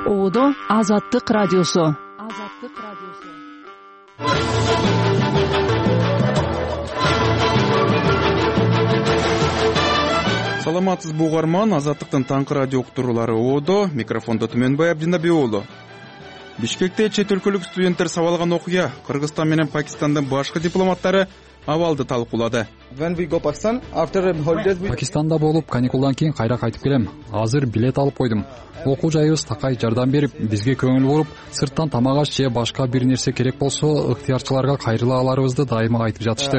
Оодо Азаттык радиосу. Саламатсызбы угарман, Азаттыктын таңкы радио уктуруулары Оодо, микрофондо Түмөнбай Абдинабек уулу. Бишкекте чет өлкөлүк студенттер сабалган окуя Кыргызстан менен Пакистандын башкы дипломаттары абалды талкуулады. Пакистанда болуп, каникулдан кийин кайра кайтып келем. Азыр билет алып койдум. Окуу жайыбыз такай жардам берип, бизге көңүл буруп, сырттан тамак аш же башка бир нерсе керек болсо, ыктыярчыларга кайрыла аларыбызды дайыма айтып жатышты.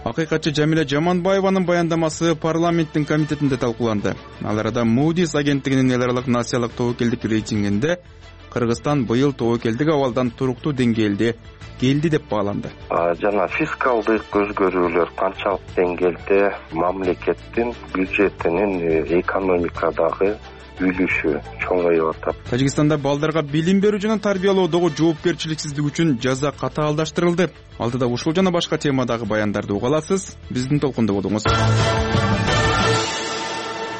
Акыйкатчы Жамиля Жаманбаеванын баяндамасы парламенттин комитетинде талкууланды. Ал арада Moody's агенттигинин эл аралык насиялык тобокелдик рейтингинде Кыргызстан быйыл тобокелдик абалдан туруктуу деңгээлде келди деп бааланды. Жана фискалдык өзгөрүүлөр канчалык деңгээлде мамлекеттин бюджетинин экономикадагы үлүшү чоңоюп атат. Тажикстанда балдарга билим берүү жана тарбиялоодогу жоопкерчиликсиздик үчүн жаза катаалдаштырылды. Алдыда ушул жана башка темадагы баяндарды уга аласыз. Биздин толкунда болуңуз.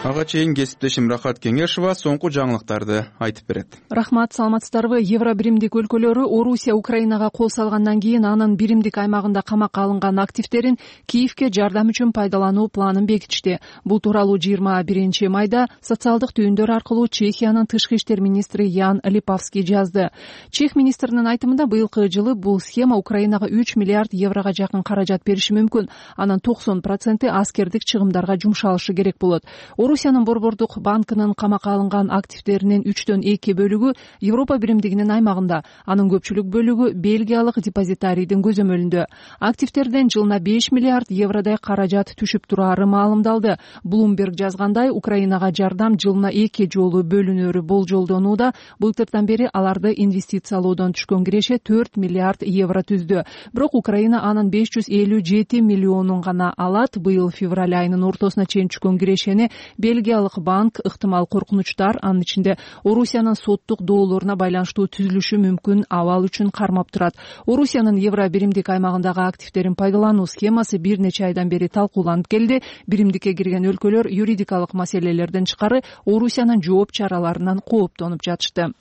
Ага чейин кесиптешим Рахат Кеңешова соңку жаңылыктарды айтып берет. Рахмат, саламатсыздарбы? Евро биримдик өлкөлөрү Орусия Украинага кол салгандан кийин анын биримдик аймагында камакка алынган активдерин Киевке жардам үчүн пайдалануу планын бекитишти. Бул тууралуу 21 майда социалдык түйүндөр аркылуу Чехиянын тышкы иштер министри Ян Липавский жазды. Чех министринин айтымында быйылкы жылы бул схема Украинага 3 миллиард еврого жакын каражат бериши мүмкүн. Анын 90% аскердик чыгымдарга жумшалышы керек болот. Орусиянын Борбордук банкынын камакка алынган активдеринин 3/2 бөлүгү Европа биримдигинин аймагында, анын көпчүлүк бөлүгү Бельгиялык депозитарийдин көзөмөлүндө. Активдерден жылына 5 миллиард евродай каражат түшүп турары маалымдалды. Bloomberg жазгандай, Украинага жардам жылына 2 жолу бөлүнөрү болжолдонууда. Былтырдан бери аларды инвестициялоодон түшкөн киреше 4 миллиард евро түздү. Бирок Украина анын 557 миллионун гана алат. Быйыл февраль айынын ортосуна чейин түшкөн кирешени Бельгиялык банк ыктымал коркунучтар, анын ичинде Орусиянын соттук доолоруна байланыштуу түзүлүшү мүмкүн абал үчүн кармап турат. Орусиянын Евро биримдик аймагындагы активдерин пайдалануу схемасы бир нече айдан бери талкууланып келди. Биримдикке кирген өлкөлөр юридикалык маселелерден тышкары Орусиянын жооп чараларынан кооптонуп жатышты.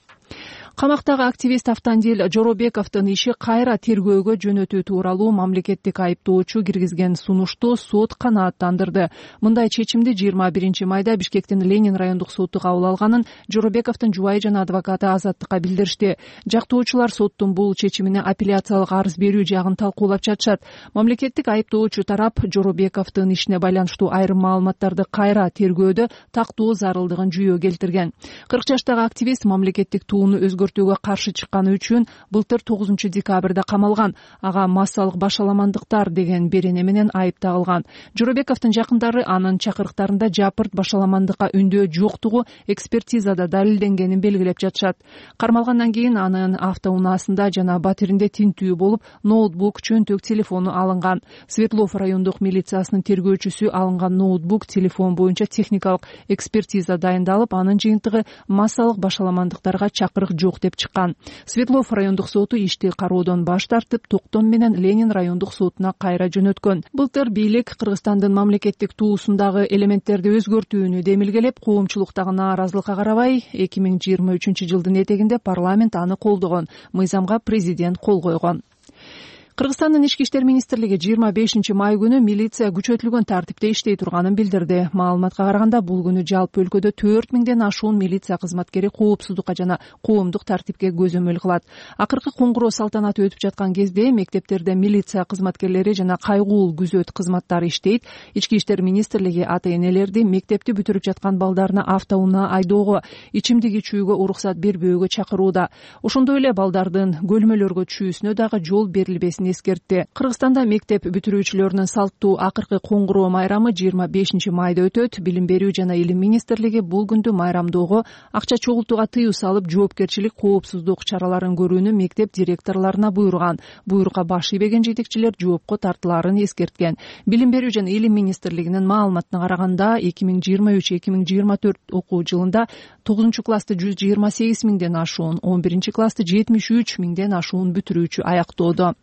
Камактагы активист Автандил Жоробековдун иши кайра тергөөгө жөнөтүү тууралуу мамлекеттик айыптоочу киргизген сунушту сот канааттандырды. Мындай чечимди 21 майда Бишкектин Ленин райондук соту кабыл алганын Жоробековдун жубайы жана адвокаты Азаттыкка билдиришти. Жактоочулар соттун бул чечимине апелляциялык арыз берүү жагын талкуулап жатышат. Мамлекеттик айыптоочу тарап Жоробековдун ишине байланыштуу айрым маалыматтарды кайра тергөөдө тактоо зарылдыгын жүйө келтирген. 40 жаштагы активист мамлекеттик тууну өзгөртүүгө каршы чыкканы үчүн былтыр 9 декабрда камалган. Ага массалык башаламандыктар деген берене менен айып тагылган. Жоробековдун жакындары анын чакырыктарында жапырт башаламандыкка үндөө жоктугу экспертизада далилденгенин белгилеп жатышат. Кармалгандан кийин анын автоунаасында жана батиринде тинтүү болуп, ноутбук, чөнтөк телефону алынган. Светлов райондук милициясынын тергөөчүсү алынган ноутбук, телефон боюнча техникалык экспертиза дайындалып, анын жыйынтыгы массалык башаламандыктарга чакырык жок деп чыккан. Светлов райондук соту ишти кароодон баш тартып, токтом менен Ленин райондук сотуна кайра жөнөткөн. Былтыр бийлик Кыргызстандын мамлекеттик туусундагы элементтерди өзгөртүүнү демилгелеп, коомчулуктагы нааразылыкка карабай 2023 жылдын этегинде парламент аны колдогон. Мыйзамга президент кол койгон. Кыргызстандын ички иштер министрлиги 25 май күнү милиция күчөтүлгөн тартипте иштей турганын билдирди. Маалыматка караганда, бул күнү жалпы өлкөдө 4000ден ашуун милиция кызматкери коопсуздукка жана коомдук тартипке көзөмөл кылат. Акыркы коңгуроо салтанаты өтүп жаткан кезде мектептерде милиция кызматкерлери жана кайгуул күзөт кызматтары иштейт. Ички иштер министрлиги ата-энелерди мектепти бүтүрүп жаткан балдарына автоунаа айдоого, ичимдик ичүүгө уруксат бербөөгө чакырууда. Ошондой эле балдардын көлмөлөргө түшүүсүнө дагы жол берилбесин эскертти. Кыргызстанда мектеп бүтүрүүчүлөрүнүн салттуу акыркы коңгуроо майрамы 25 майда өтөт. Билим берүү жана илим министрлиги бул күндү майрамдоого, акча чогултууга тыюу салып, жоопкерчилик, коопсуздук чараларын көрүүнү мектеп директорлоруна буйруган. Буйрукка баш ийбеген жетекчилер жоопко тартылаарын эскерткен. Билим берүү жана илим министрлигинин маалыматына караганда, 2023-2024 окуу жылында 9 классты 128 миңден ашуун, 11 классты 73 миңден ашуун бүтүрүүчү аяктоодо.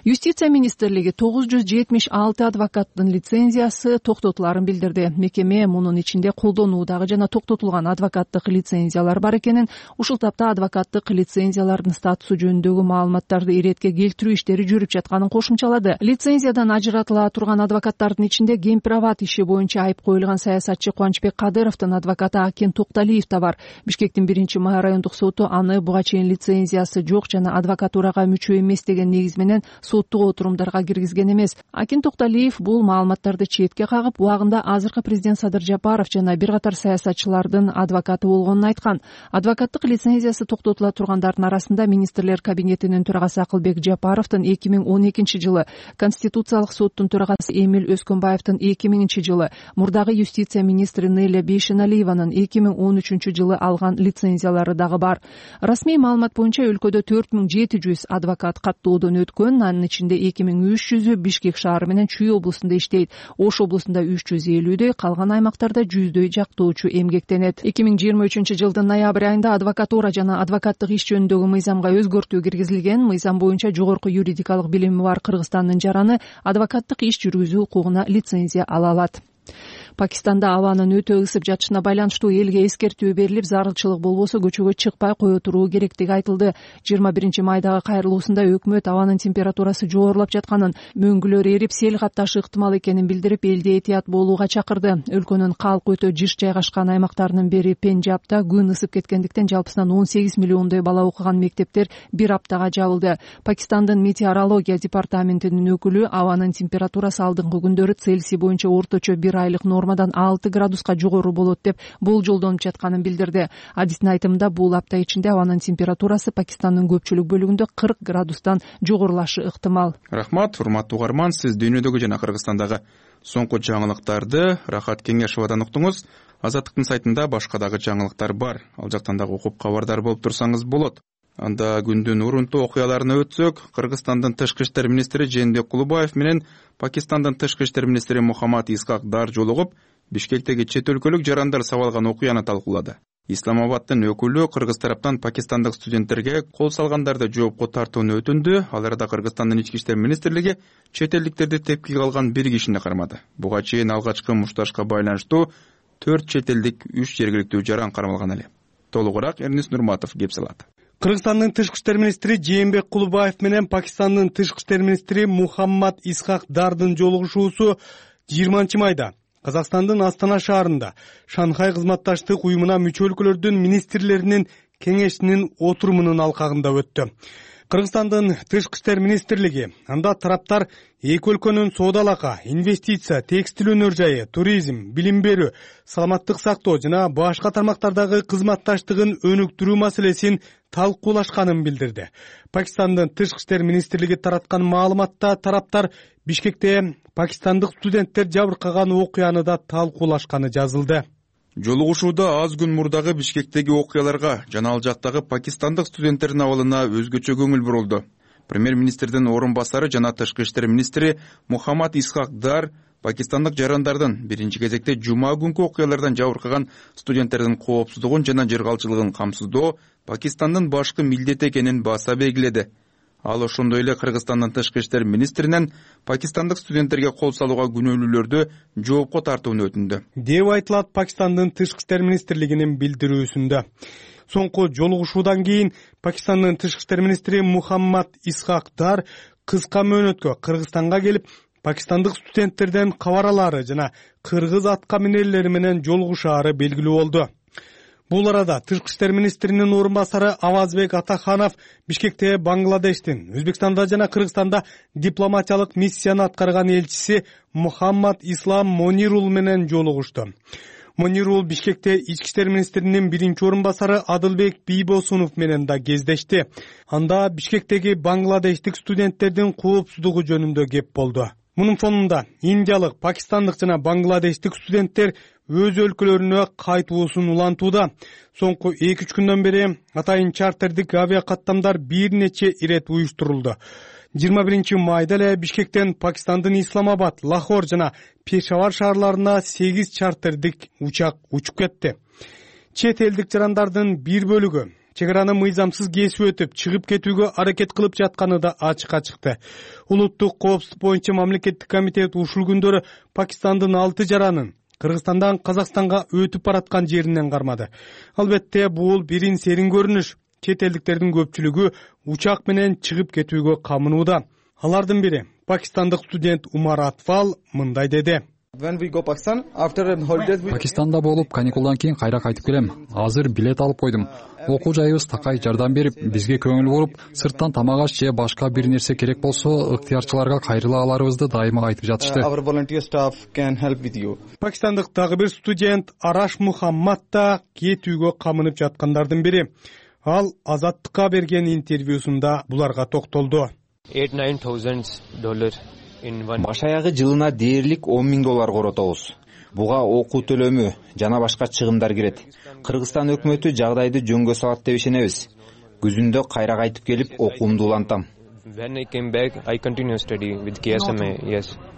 Юстиция министрлиги 976 адвокаттын лицензиясы токтотуларын билдирди. Мекеме мунун ичинде колдонуудагы жана токтотулган адвокаттык лицензиялар бар экенин, ушул тапта адвокаттык лицензиялардын статусу жөнүндөгү маалыматтарды иретке келтирүү иштери жүрүп жатканын кошумчалады. Лицензиядан ажыратыла турган адвокаттардын ичинде Гемпирабад иши боюнча айып коюлган саясатчы Кубанычбек Кадыровдун адвокаты Акен Токталиев да бар. Бишкектин 1-май райондук соту аны буга чейин лицензиясы жок жана адвокатурага мүчө эмес деген негиз менен соттук отурумдарга киргизген эмес. Акен Токталиев бул маалыматтарды четке кагып, убагында азыркы президент Садыр Жапаров жана бир катар саясатчылардын адвокаты болгонун айткан. Адвокаттык лицензиясы токтотула тургандардын арасында министрлер кабинетинин төрагасы Акылбек Жапаровдун 2012 жылы, Конституциялык соттун төрагасы Эмил Өскөнбаевдин 2000 жылы, мурдагы юстиция министри Неля Бейшеналиеванын 2013 жылы алган лицензиялары дагы бар. Расмий маалымат боюнча өлкөдө 4700 адвокат каттоодон өткөн, анын ичинде 2300-ü Бишкек шаары менен Чүй облусунда иштейт. Ош облусунда 350-дөй, калган аймактарда 100-дөй жактоочу эмгектенет. 2023 жылдын ноябрь айында адвокатура жана адвокаттык иш жөнүндөгү мыйзамга өзгөртүү киргизилген. Мыйзам боюнча жогорку юридикалык билими бар Кыргызстандын жараны адвокаттык иш жүргүзүү укугуна лицензия ала алат. Пакистанда абанын өтө ысып жатышына байланыштуу элге эскертүү берилип, зарылчылык болбосо көчөгө чыкпай кое туруу керектиги айтылды. 21-майдагы кайрылуусунда өкмөт абанын температурасы жогорулап жатканын, мөңгүлөр эрип, сел капташы ыктымал экенин билдирип, элди этият болууга чакырды. Өлкөнүн калк өтө жыш жайгашкан аймактарынын бири Пенджабда күн ысып кеткендиктен жалпысынан 18 миллиондой бала окуган мектептер бир аптага жабылды. Пакистандын метеорология департаментинин өкүлү абанын температурасы алдыңкы күндөрү Цельсий боюнча орточо 1 айлык нормадан 6 градуска жогору болот деп болжолдонуп жатканын билдирди. Адистин айтымында бул апта ичинде абанын температурасы Пакистандын көпчүлүк бөлүгүндө 40 градустан жогорулашы ыктымал. Рахмат, урматтуу угарман, сиз дүйнөдөгү жана Кыргызстандагы соңку жаңылыктарды Рахат Кеңешовадан уктуңуз. Азаттыктын сайтында башка дагы жаңылыктар бар. Ал жактан дагы окуп кабардар болуп турсаңыз болот. Анда күндүн урунтуу окуяларына өтсөк, Кыргызстандын тышкы иштер министри Жээнбек Кулубаев менен Пакистандын тышкы иштер министри Мухаммад Исхак Дар жолугуп, Бишкектеги чет өлкөлүк жарандар сабалган окуяны талкуулады. Исламабадтын өкүлү Кыргыз тараптан пакистандык студенттерге кол салгандарды жоопко тартууну өтүндү. Ал арада Кыргызстандын ички иштер министрлиги чет элдиктерди тепкиге алган бир кишини кармады. Буга чейин алгачкы мушташка байланыштуу 4 чет элдик 3 жергиликтүү жаран кармалган эле. Толугураак Эрнис Нурматов кеп салат. Кыргызстандын тышкы иштер министри Жээнбек Кулубаев менен Пакистандын тышкы иштер министри Мухаммад Исхак Дардын жолугушуусу 20-майда Казакстандын Астана шаарында Шанхай кызматташтык уюмуна мүчө өлкөлөрдүн министрлеринин кеңешинин отурумунун алкагында өттү. Кыргызстандын тышкы иштер министрлиги анда тараптар эки өлкөнүн соода алака, инвестиция, текстил өнөр жайы, туризм, билим берүү, саламаттык сактоо жана башка тармактардагы кызматташтыгын өнүктүрүү маселесин талкуулашканын билдирди. Пакистандын тышкы иштер министрлиги тараткан маалыматта тараптар Бишкекте пакистандык студенттер жабыркаган окуяны да талкуулашканы жазылды. Жолугушууда аз күн мурдагы Бишкектеги окуяларга жана ал жактагы пакистандык студенттердин абалына өзгөчө көңүл бурулду. Премьер-министрдин орун басары жана тышкы иштер министри Мухаммад Исхак Дар пакистандык жарандардын биринчи кезекте жума күнкү окуялардан жабыркаган студенттердин коопсуздугун жана жыргалчылыгын камсыздоо Пакистандын башкы милдети экенин баса белгиледи. Ал ошондой эле Кыргызстандын тышкы иштер министринен пакистандык студенттерге кол салууга күнөөлүүлөрдү жоопко тартууну өтүндү деп айтылат Пакистандын тышкы иштер министрлигинин билдирүүсүндө. Соңку жолугушуудан кийин Пакистандын тышкы иштер министри Мухаммад Исхак Дар кыска мөөнөткө Кыргызстанга келип, пакистандык студенттерден кабаралары жана кыргыз атка минерлери менен жолугушаары белгилүү болду. Бул арада тышкы иштер министринин орун басары Авазбек Атаханов Бишкекте Бангладештин, Өзбекстанда жана Кыргызстанда дипломатиялык миссияны аткарган элчиси Мухаммад Ислам Монирул менен жолугушту. Монирул Бишкекте ички иштер министринин биринчи орун басары Адылбек Бийбосунов менен да кездешти. Анда Бишкектеги бангладештик студенттердин коопсуздугу жөнүндө кеп болду. Мунун фонунда индиялык, пакистандык жана бангладештик студенттер өз өлкөлөрүнө кайтуусун улантууда. Соңку 2-3 күндөн бери атайын чартердик авиакаттамдар бир нече ирет уюштурулду. 21-майда эле Бишкектен Пакистандын Исламабад, Лахор жана Пешавар шаарларына 8 чартердик учак учуп кетти. Чет элдик жарандардын бир бөлүгү чек араны мыйзамсыз кесип өтүп чыгып кетүүгө аракет кылып жатканы да ачыкка чыкты. Улуттук коопсуздук боюнча мамлекеттик комитет ушул күндөрү Пакистандын 6 жаранын Кыргызстандан Казакстанга өтүп бараткан жеринен кармады. Албетте бул бирин серин көрүнүш. Чет элдиктердин көпчүлүгү учак менен чыгып кетүүгө камынууда. Алардын бири пакистандык студент Умар Атфал мындай деди. Пакистанда болуп, каникулдан кийин кайра кайтып келем. Азыр билет алып койдум. Окуу жайыбыз такай жардам берип, бизге көңүл буруп, сырттан тамак аш же башка бир нерсе керек болсо, ыктыярчыларга кайрыла аларыбызды дайыма айтып жатышты. Пакистандык дагы бир студент Араш Мухаммад да кетүүгө камынып жаткандардын бири. Ал Азаттыкка берген интервьюсунда буларга токтолду. Баш аягы жылына дээрлик $10,000 коротобуз. Буга окуу төлөмү жана башка чыгымдар кирет. Кыргызстан өкмөтү жагдайды жөнгө салат деп ишенебиз. Күзүндө кайра кайтып келип окуумду улантам.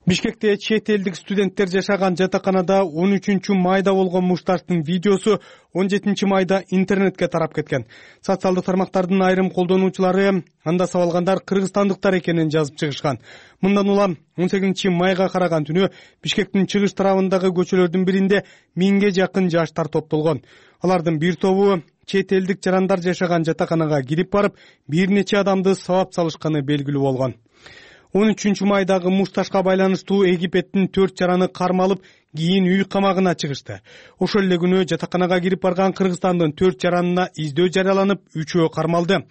Бишкекте чет элдик студенттер жашаган жатаканада 13 майда болгон мушташтын видеосу 17 майда интернетке тарап кеткен. Социалдык тармактардын айрым колдонуучулары анда сабалгандар кыргызстандыктар экенин жазып чыгышкан. Мындан улам 18 майга караган түнү Бишкектин чыгыш тарабындагы көчөлөрдүн биринде 1000ге жакын жаштар топтолгон. Алардын бир тобу чет элдик жарандар жашаган жатаканага кирип барып, бир нече адамды сабап салышканы белгилүү болгон. 13 майдагы мушташка байланыштуу Египеттин 4 жараны кармалып, кийин үй камагына чыгышты. Ошол эле күнү жатаканага кирип барган Кыргызстандын 4 жаранына издөө жарыяланып, 3-өө кармалды.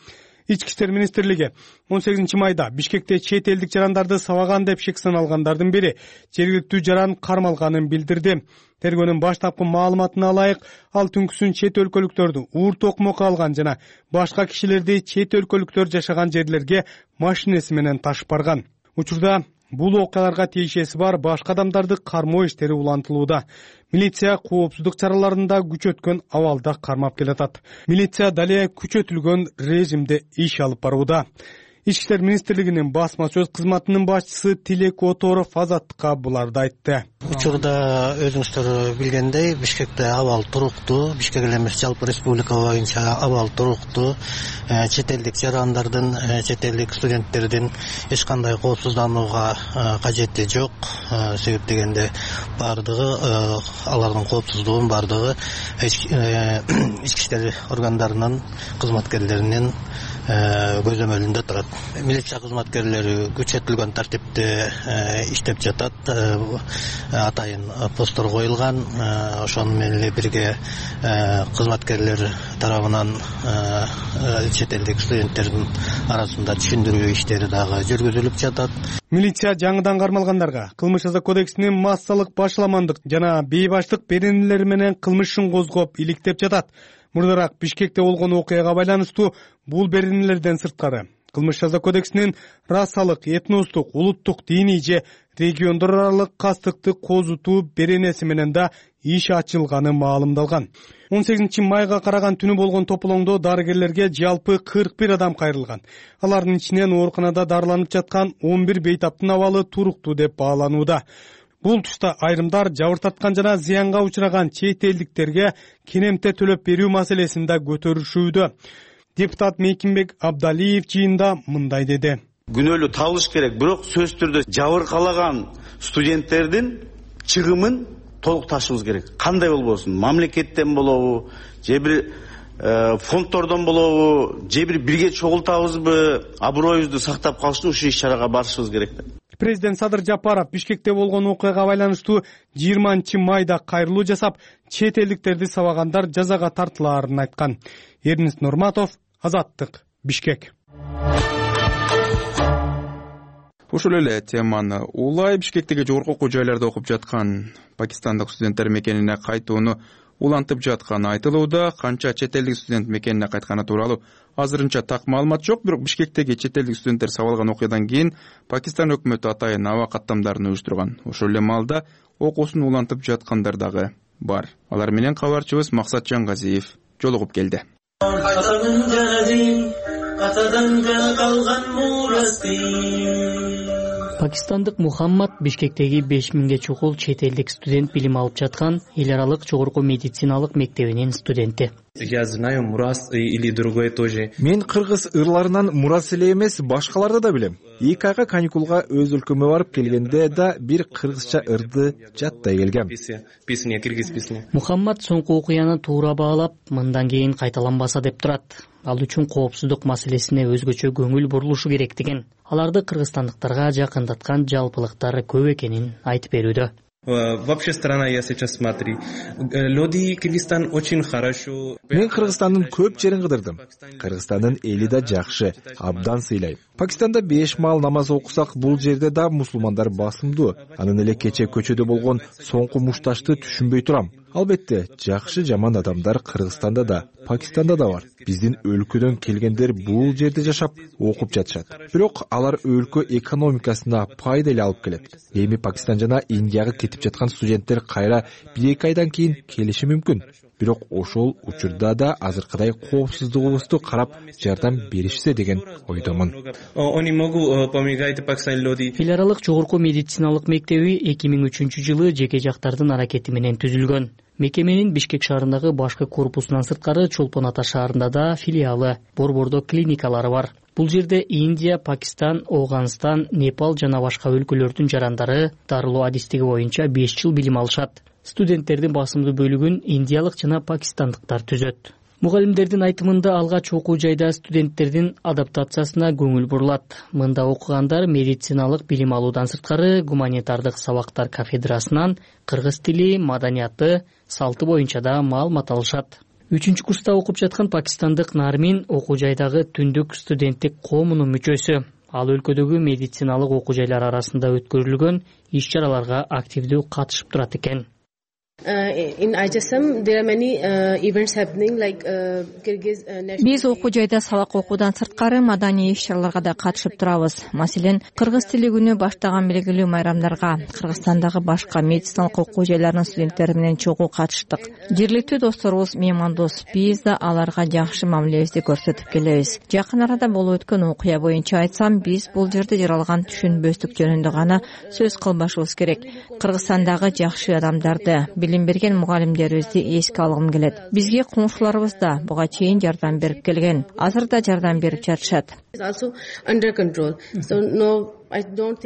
Ички иштер министрлиги 18 майда Бишкекте чет элдик жарандарды сабаган деп шек саналгандардын бири жергиликтүү жаран кармалганын билдирди. Тергөөнүн баштапкы маалыматына ылайык, ал түнкүсүн чет өлкөлүктөрдү уур токмок алган жана башка кишилерди чет өлкөлүктөр жашаган жерлерге машинеси менен ташып барган. Учурда бул окуяларга тиешеси бар башка адамдарды кармоо иштери улантылууда. Милиция коопсуздук чараларында күчөткөн абалда кармап келатат. Милиция дале күчөтүлгөн режимде иш алып барууда. Ички иштер министрлигинин басма сөз кызматынын башчысы Тилек Оторов Азаттыкка буларды айтты. Учурда өзүңүздөр билгендей, Бишкекте абал туруктуу, Бишкек эле эмес, жалпы республика боюнча абал туруктуу. Чет элдик жарандардын, чет элдик студенттердин эч кандай коопсузданууга кажети жок. Себеп дегенде бардыгы алардын коопсуздугун бардыгы ички иштер органдарынын кызматкерлеринин көзөмөлүндө турат. Милиция кызматкерлери күчөтүлгөн тартипте иштеп жатат. Атайын посттор коюлган. Ошону менен эле бирге кызматкерлер тарабынан чет элдик студенттердин арасында түшүндүрүү иштери дагы жүргүзүлүп жатат. Милиция жаңыдан кармалгандарга кылмыш жаза кодексинин массалык башаламандык жана бейбаштык беренелери менен кылмыш ишин козгоп иликтеп жатат. Мурдараак Бишкекте болгон окуяга байланыштуу бул беренелерден сырткары кылмыш жаза кодексинин расалык, этностук, улуттук, диний же региондор аралык кастыкты козутуу беренеси менен да иш ачылганы маалымдалган. 18 майга караган түнү болгон тополоңдо дарыгерлерге жалпы 41 адам кайрылган. Алардын ичинен ооруканада дарыланып жаткан 11 бейтаптын абалы туруктуу деп бааланууда. Бул тушта айрымдар жабыртаткан жана зыянга учураган чет элдиктерге кенемте төлөп берүү маселесин да көтөрүшүүдө. Депутат Мейкинбек Абдалиев жыйында мындай деди. Күнөөлүү табылыш керек, бирок сөзсүз түрдө жабыркалаган студенттердин чыгымын толук ташыбыз керек. Кандай болбосун, мамлекеттен болобу, же бир фонддордон болобу, же бирге чогултабызбы, аброюбузду сактап калыш үчүн ушул иш-чарага барышыбыз керек. Президент Садыр Жапаров Бишкекте болгон окуяга байланыштуу 20 майда кайрылуу жасап, чет элдиктерди сабагандар жазага тартылаарын айткан. Эрнест Нурматов, Азаттык, Бишкек. Ушул эле теманы улай Бишкектеги жогорку окуу жайларда окуп жаткан пакистандык студенттер мекенине кайтууну улантып жатканы айтылууда. Канча чет элдик студент мекенине кайтканы тууралуу азырынча так маалымат жок, бирок Бишкектеги чет элдик студенттер сабалган окуядан кийин Пакистан өкмөтү атайын аба каттамдарын уюштурган. Ошол эле маалда окуусун улантып жаткандар дагы бар. Алар менен кабарчыбыз Максат Жангазиев жолугуп келди. Пакистандык Мухаммад Бишкектеги 5000ге чукул чет элдик студент билим алып жаткан эл аралык жогорку медициналык мектебинин студенти. Я знаю Мурас или другой тоже. Мен кыргыз ырларынан Мурас эле эмес, башкаларды да билем. 2 айга каникулга өз өлкөмө барып келгенде да бир кыргызча ырды жаттай келгем. Песня, кыргыз песня. Мухаммад соңку окуяны туура баалап, мындан кийин кайталанбаса деп турат. Ал үчүн коопсуздук маселесине өзгөчө көңүл бурулушу керек деген. Аларды кыргызстандыктарга жакындаткан жалпылыктар көп экенин айтып берүүдө. Вообще страна я сейчас смотрю. Люди Кыргызстан очень хорошо. Мен Кыргызстандын көп жерин кыдырдым. Кыргызстандын эли да жакшы, абдан сыйлайм. Пакистанда 5 маал намаз окусак, бул жерде да мусулмандар басымдуу. Анын эле кече көчөдө болгон соңку мушташты түшүнбөй турам. Албетте, жакшы жаман адамдар Кыргызстанда да, Пакистанда да бар. Биздин өлкөдөн келгендер бул жерде жашап, окуп жатышат. Бирок алар өлкө экономикасына пайда эле алып келет. Эми Пакистан жана Индияга кетип жаткан студенттер кайра 1-2 айдан кийин келиши мүмкүн. Бирок ошол учурда да азыркыдай коопсуздугубузду карап жардам беришсе деген ойдомун. Эл аралык жогорку медициналык мектеби 2003-жылы жеке жактардын аракети менен түзүлгөн. Мекеменин Бишкек шаарындагы башкы корпусунан сырткары Чолпон Ата шаарында да филиалы, Борбордо клиникалары бар. Бул жерде Индия, Пакистан, Ооганстан, Непал жана башка өлкөлөрдүн жарандары дарылоо адистиги боюнча 5 жыл билим алышат. Студенттердин басымдуу бөлүгүн индиялык жана пакистандыктар түзөт. Мугалимдердин айтымында алгач окуу жайда студенттердин адаптациясына көңүл бурулат. Мында окугандар медициналык билим алуудан сырткары гуманитардык сабактар кафедрасынан кыргыз тили, маданияты, салты боюнча да маалымат алышат. 3-курста окуп жаткан пакистандык Нармин окуу жайдагы түндүк студенттик коомунун мүчөсү. Ал өлкөдөгү медициналык окуу жайлар арасында өткөрүлгөн иш-чараларга активдүү катышып турат экен. Биз окуу жайда сабак окуудан сырткары маданий иш-чараларга да катышып турабыз. Маселен, кыргыз тили күнү баштаган белгилүү майрамдарга Кыргызстандагы башка медициналык окуу жайларынын студенттери менен чогуу катыштык. Жергиликтүү досторубуз меймандос, биз да аларга жакшы мамилебизди көрсөтүп келебиз. Жакын арада болуп өткөн окуя боюнча айтсам, биз бул жерде жаралган түшүнбөстүк жөнүндө гана сөз кылбашыбыз керек. Кыргызстандагы жакшы адамдарды, билим берген мугалимдерибизди эске алгым келет. Бизге коңшуларыбыз да буга чейин жардам берип келген. Азыр да жардам берип жатышат.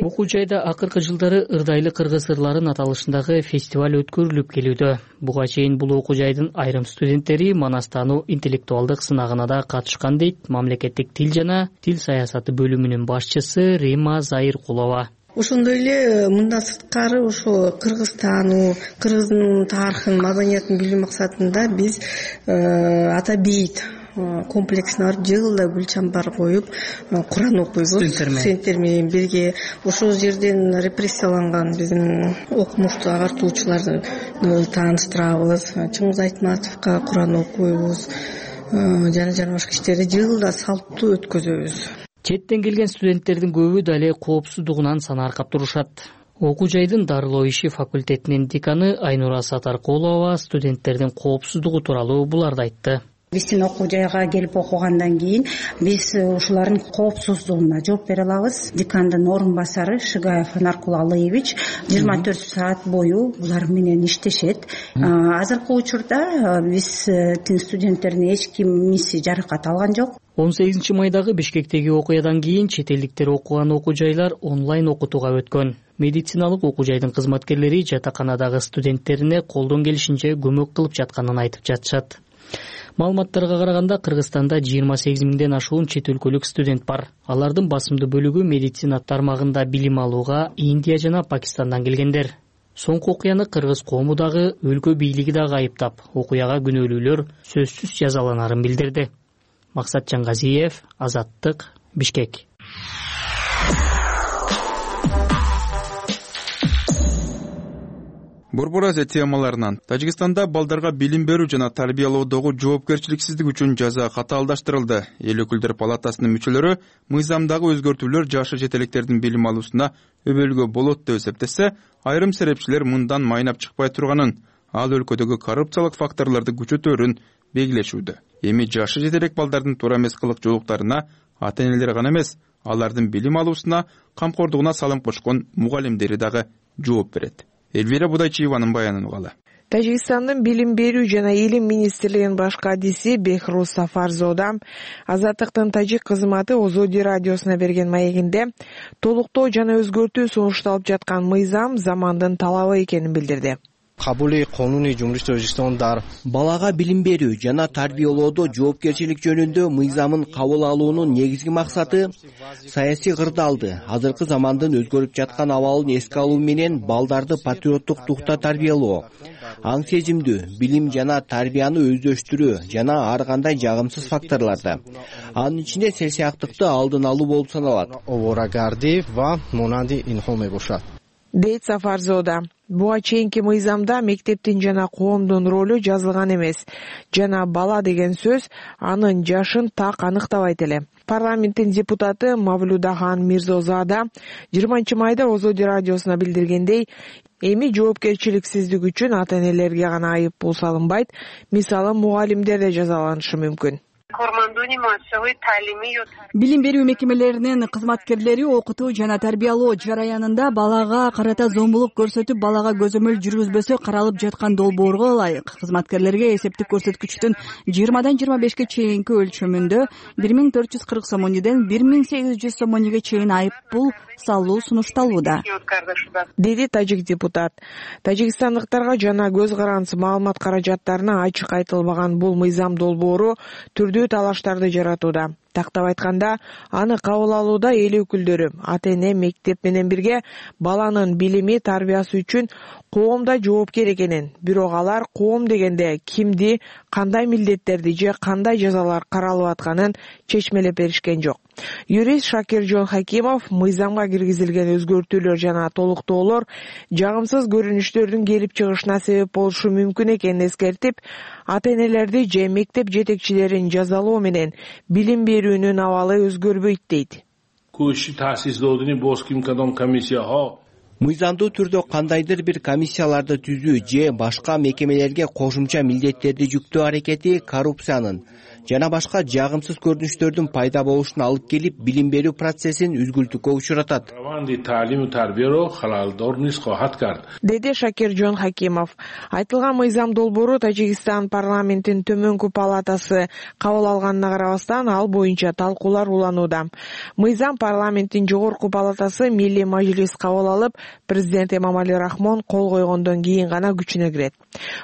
Окуу жайда акыркы жылдары ырдайлы кыргыз ырларын аталышындагы фестиваль өткөрүлүп келүүдө. Буга чейин бул окуу жайдын айрым студенттери манастануу интеллектуалдык сынагына да катышкан дейт мамлекеттик тил жана тил саясаты бөлүмүнүн башчысы Рима Заиркулова. Ошондой эле мындан сырткары ошо Кыргызстануу, кыргыздын тарыхын, маданиятын билүү максатында биз ата бейит комплексине барып жылда гүл-чамбар коюп Куран окуйбуз. Студенттер менен бирге ошол жерден репрессияланган биздин окумуштуу агартуучуларды тааныштырабыз. Чыңгыз Айтматовго Куран окуйбуз. Жана башка иштерди жылда салттуу өткөзөбүз. Четтен келген студенттердин көбү дале коопсуздугунан санааркап турушат. Окуу жайдын дарылоо иши факультетинин деканы Айнура Сатаркулова студенттердин коопсуздугу тууралуу буларды айтты. Биздин окуу жайга келип окугандан кийин биз ушулардын коопсуздугуна жооп бере алабыз. Декандын орун басары Шигаев Наркул Алыевич 24 саат бою булар менен иштешет. Азыркы учурда биз студенттердин эч кимиси жаракат алган жок. 18 майдагы Бишкектеги окуядан кийин чет элдиктер окуган окуу жайлар онлайн окутууга өткөн. Медициналык окуу жайдын кызматкерлери жатаканадагы студенттерине колдон келишинче көмөк кылып жатканын айтып жатышат. Маалыматтарга караганда Кыргызстанда 28 миңден ашуун чет өлкөлүк студент бар. Алардын басымдуу бөлүгү медицина тармагында билим алууга Индия жана Пакистандан келгендер. Соңку окуяны кыргыз коому дагы, өлкө бийлиги дагы айыптап, окуяга күнөөлүүлөр сөзсүз жазаланарын билдирди. Максат Жаңгазиев, Азаттык, Бишкек. Борбор Азия темаларынан Тажикстанда балдарга билим берүү жана тарбиялоодогу жоопкерчиликсиздик үчүн жаза катаалдаштырылды. Эл өкүлдөр палатасынын мүчөлөрү мыйзамдагы өзгөртүүлөр жашы жетелектердин билим алуусуна өбөлгө болот деп эсептесе, айрым серепчилер мындан майнап чыкпай турганын, ал өлкөдөгү коррупциялык факторлорду күчөтөөрүн белгилешүүдө. Эми жашы жетелек балдардын туура эмес кылык жоолуктарына ата-энелер гана эмес, алардын билим алуусуна, камкордугуна салым кошкон мугалимдери дагы жооп берет. Элвира Будайчиеванын баянын угалы. Тажикстандын билим берүү жана илим министрлигинин баш кадиси Бехрус Сафарзода Азаттыктын тажик кызматы Озоди радиосуна берген маегинде толуктоо жана өзгөртүү сунушталып жаткан мыйзам замандын талабы экенин билдирди. Балага билим берүү жана тарбиялоодо жоопкерчилик жөнүндө мыйзамын кабыл алуунун негизги максаты саясий кырдаалды, азыркы замандын өзгөрүп жаткан абалын эске алуу менен балдарды патриоттук духта тарбиялоо, аң сезимдүү, билим жана тарбияны өздөштүрүү жана ар кандай жагымсыз факторларды, анын ичинде сел-сыяктыкты алдын алуу болуп саналат, дейт Сафарзода. Буга чейинки мыйзамда мектептин жана коомдун ролу жазылган эмес жана бала деген сөз анын жашын так аныктабайт эле. Парламенттин депутаты Мавлудахан Мирзозада 20-майда Озоди радиосуна билдиргендей, эми жоопкерчиликсиздик үчүн ата-энелерге гана айып пул салынбайт, мисалы мугалимдер да жазаланышы мүмкүн. Билим берүү мекемелеринин кызматкерлери окутуу жана тарбиялоо жараянында балага карата зомбулук көрсөтүп, балага көзөмөл жүргүзбөсө каралып жаткан долбоорго ылайык кызматкерлерге эсептик көрсөткүчтүн 20-дан 25-ке чейинки өлчөмүндө 1440 сомониден 1800 сомониге чейин айып пул салуу сунушталууда, деди тажик депутат. Тажикстандыктарга жана көз карандысы маалымат каражаттарына ачык айтылбаган бул мыйзам долбоору түрдүү талаштарды жаратууда. Тактап айтканда, аны кабыл алууда эл өкүлдөрү, ата-эне, мектеп менен бирге баланын билими, тарбиясы үчүн коом да жоопкер экенин, бирок алар коом дегенде кимди, кандай милдеттерди же кандай жазалар каралып атканын чечмелеп беришкен жок. Юрист Шакиржон Хакимов мыйзамга киргизилген өзгөртүүлөр жана толуктоолор жагымсыз көрүнүштөрдүн келип чыгышына себеп болушу мүмкүн экенин эскертип, ата-энелерди же мектеп жетекчилерин жазалоо менен билим берүүнүн абалы өзгөрбөйт дейт. Мыйзамдуу түрдө кандайдыр бир комиссияларды түзүү же башка мекемелерге кошумча милдеттерди жүктөө аракети коррупциянын жана башка жагымсыз көрүнүштөрдүн пайда болушуна алып келип, билим берүү процессин үзгүлтүккө учуратат, деди Шакиржон Хакимов. Айтылган мыйзам долбоору Тажикстан парламентин төмөнкү палатасы кабыл алганына карабастан ал боюнча талкуулар уланууда. Мыйзам парламенттин жогорку палатасы Милли Мажлис кабыл алып, президент Эмомали Рахмон кол койгондон кийин гана күчүнө кирет.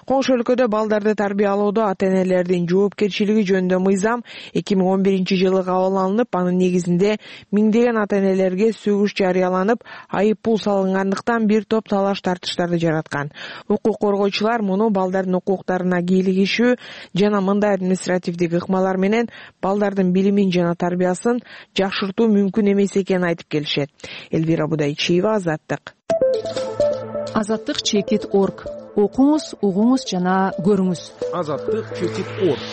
Коңшу өлкөдө балдарды тарбиялоодо ата-энелердин жоопкерчилиги жөнүндө мыйзам 2011-жылы кабыл алынып, анын негизинде миңдеген ата-энелерге сөгүш жарыяланып, айып пул салынгандыктан бир топ талаш тартыштарды жараткан. Укук коргоочулар муну балдардын укуктарына кийлигишүү жана мындай административдик ыкмалар менен балдардын билимин жана тарбиясын жакшыртуу мүмкүн эмес экенин айтып келишет. Элвира Будайчиева, Азаттык. Азаттык.org. Окуңуз, угуңуз жана көрүңүз. Азаттык.org.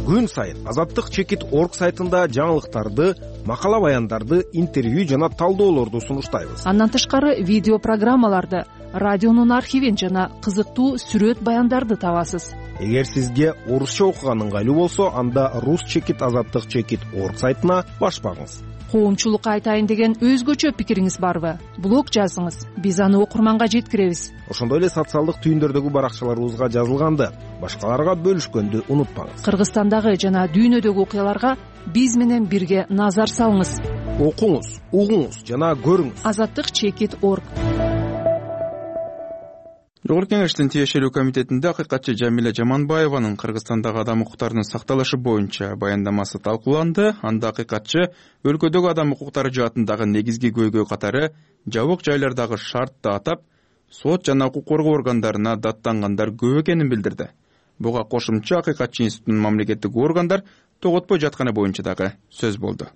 Күн сайын Азаттык.org сайтында жаңылыктарды, макала баяндарды, интервью жана талдоолорду сунуштайбыз. Андан тышкары видео программаларды, радионун архивин жана кызыктуу сүрөт баяндарды табасыз. Эгер сизге орусча окуган ыңгайлуу болсо, анда Азаттык.org сайтына баш багыңыз. Коомчулукка айтайын деген өзгөчө пикириңиз барбы? Блог жазыңыз, биз аны окурманга жеткиребиз. Ошондой эле социалдык түйүндөрдөгү баракчаларыбызга жазылганды башкаларга бөлүшкөндү унутпаңыз. Кыргызстандагы жана дүйнөдөгү окуяларга биз менен бирге назар салыңыз. Окуңуз, угуңуз жана көрүңүз. Азаттык.org. Жогорку Кеңештин тиешелүү комитетинде акыйкатчы Жамиля Жаманбаеванын Кыргызстандагы адам укуктарынын сакталышы боюнча баяндамасы талкууланды. Анда акыйкатчы өлкөдөгү адам укуктары жаатындагы негизги көйгөй катары жабык жайлардагы шартты атап, сот жана укук коргоо органдарына даттангандар көп экенин билдирди. Буга кошумча акыйкатчы институтунун мамлекеттик органдар тоготпой жатканы боюнча дагы сөз болду.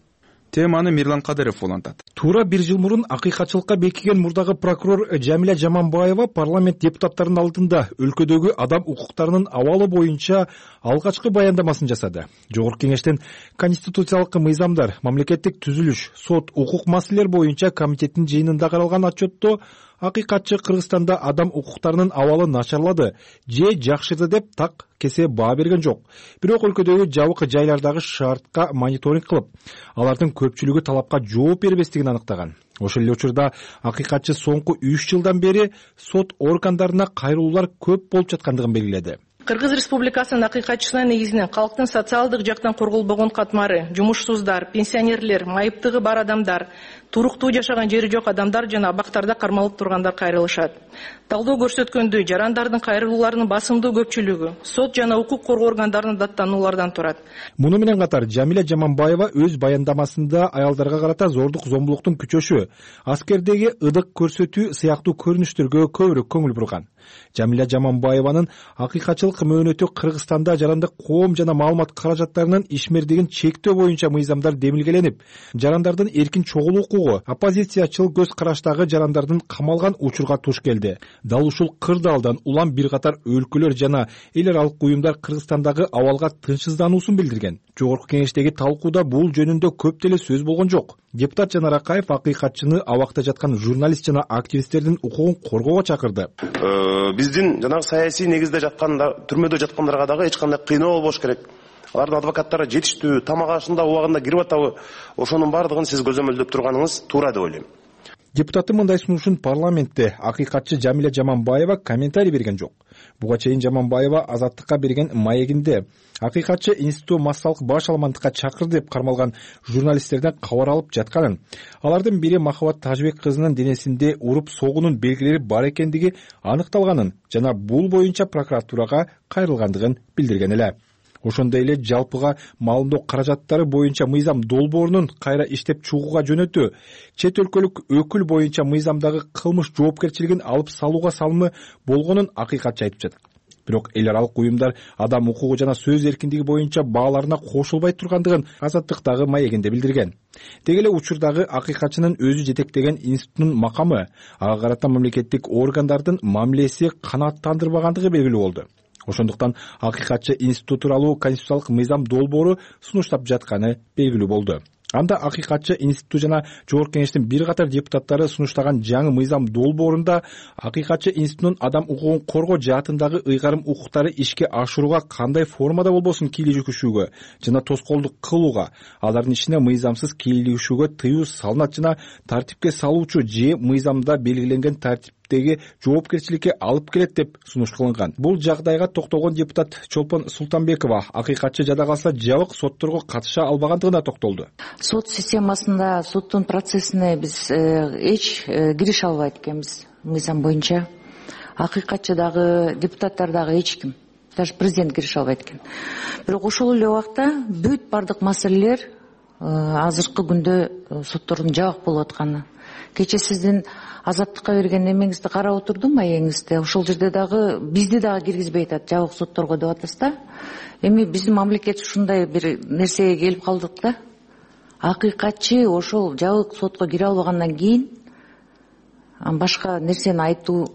Теманы Мирлан Кадыров улантат. Туура бир жыл мурун акыйкатчылыкка бекиген мурдагы прокурор Жамиля Жаманбаева парламент депутаттарынын алдында өлкөдөгү адам укуктарынын абалы боюнча алгачкы баяндамасын жасады. Жогорку Кеңештин конституциялык мыйзамдар, мамлекеттик түзүлүш, сот, укук маселелер боюнча комитеттин жыйынында каралган отчетто акыйкатчы Кыргызстанда адам укуктарынын абалы начарлады же жакшырды деп так кесе баа берген жок. Бирок өлкөдөгү жабык жайлардагы шартка мониторинг кылып, алардын көпчүлүгү талапка жооп бербестигин аныктаган. Ошол эле учурда акыйкатчы соңку 3 жылдан бери сот органдарына кайрылуулар көп болуп жаткандыгын белгиледи. Кыргыз Республикасынын акыйкатчысына негизинен калктын социалдык жактан корголбогон катмары, жумушсуздар, пенсионерлер, майыптыгы бар адамдар, туруктуу жашаган жери жок адамдар жана абактарда кармалып тургандар кайрылышат. Талдоо көрсөткөндөй, жарандардын кайрылууларынын басымдуу көпчүлүгү сот жана укук коргоо органдарынын даттануулардан турат. Муну менен катар Жамиля Жаманбаева өз баяндамасында аялдарга карата зордук зомбулуктун күчөшү, аскердеги ыдык көрсөтүү сыяктуу көрүнүштөргө көбүрөөк көңүл бурган. Жамиля Жаманбаеванын акыйкатчылык мөөнөтү Кыргызстанда жарандык коом жана маалымат каражаттарынын ишмердигин чектөө боюнча мыйзамдар демилгеленип, жарандардын эркин чогулуу укугу, оппозициячыл көз караштагы жарандардын камалган учурга туш келди. Дал ушул кырдаалдан улам бир катар өлкөлөр жана эл аралык уюмдар Кыргызстандагы абалга тынчсыздануусун билдирген. Жогорку кеңештеги талкууда бул жөнүндө көп деле сөз болгон жок. Депутат Жанар Акаев акыйкатчыны абакта жаткан журналист жана активисттердин укугун коргоого чакырды. Биздин жанагы саясий негизде жатканда, түрмөдө жаткандарга дагы эч кандай кыйноо болбош керек. Алардын адвокаттары жетиштүү, тамак ашында убагында кирип атабы, ошонун бардыгын сиз көзөмөлдөп турганыңыз туура деп ойлойм. Депутаттын мындай сунушун парламентте акыйкатчы Жамиля Жаманбаева комментарий берген жок. Буга чейин Жаманбаева Азаттыкка берген маегинде акыйкатчы институту массалык баш алмандыкка чакырды деп кармалган журналисттерден кабар алып жатканын, алардын бири Махабат Тажбек кызынын денесинде уруп согуунун белгилери бар экендиги аныкталганын жана бул боюнча прокуратурага кайрылгандыгын билдирген эле. Ошондой эле жалпыга маалымдоо каражаттары боюнча мыйзам долбоорунун кайра иштеп чыгууга жөнөтүү, чет өлкөлүк өкүл боюнча мыйзамдагы кылмыш жоопкерчилигин алып салууга салымы болгонун акыйкатчы айтып жатат. Бирок эл аралык уюмдар адам укугу жана сөз эркиндиги боюнча бааларына кошулбай тургандыгын Азаттыктагы маегинде билдирген. Деги эле учурдагы акыйкатчынын өзү жетектеген институттун макамы, ага карата мамлекеттик органдардын мамилеси канааттандырбагандыгы белгилүү болду. Ошондуктан акыйкатчы институту тууралуу конституциялык мыйзам долбоору сунуштап жатканы белгилүү болду. Анда акыйкатчы институту жана жогорку кеңештин бир катар депутаттары сунуштаган жаңы мыйзам долбоорунда акыйкатчы институтунун адам укугун коргоо жаатындагы ыйгарым укуктары ишке ашырууга кандай формада болбосун кийлигишүүгө жана тоскоолдук кылууга, алардын ишине мыйзамсыз кийлигишүүгө тыюу салынат жана тартипке салуучу же мыйзамда белгиленген тартиптеги жоопкерчиликке алып келет деп сунуш кылынган. Бул жагдайга токтолгон депутат Чолпон Султанбекова акыйкатчы жада калса жабык сотторго катыша албагандыгына токтолду. Сот системасында, соттун процессине биз эч кирише албайт экенбиз мыйзам боюнча. Акыйкатчы дагы, депутаттар дагы эч ким, даже президент кирише албайт экен. Бирок ошол эле убакта бүт бардык маселелер азыркы күндө соттордун жабык болуп атканы. Кече сиздин Азаттыкка берген эмеңизди карап отурдум, маегиңизди. Ошол жерде дагы бизди дагы киргизбей атат, жабык сотторго деп атасыз да. Эми биздин мамлекет ушундай бир нерсеге келип калдык да. Акыйкатчы ошол жабык сотко кире албагандан кийин башка нерсени айтуу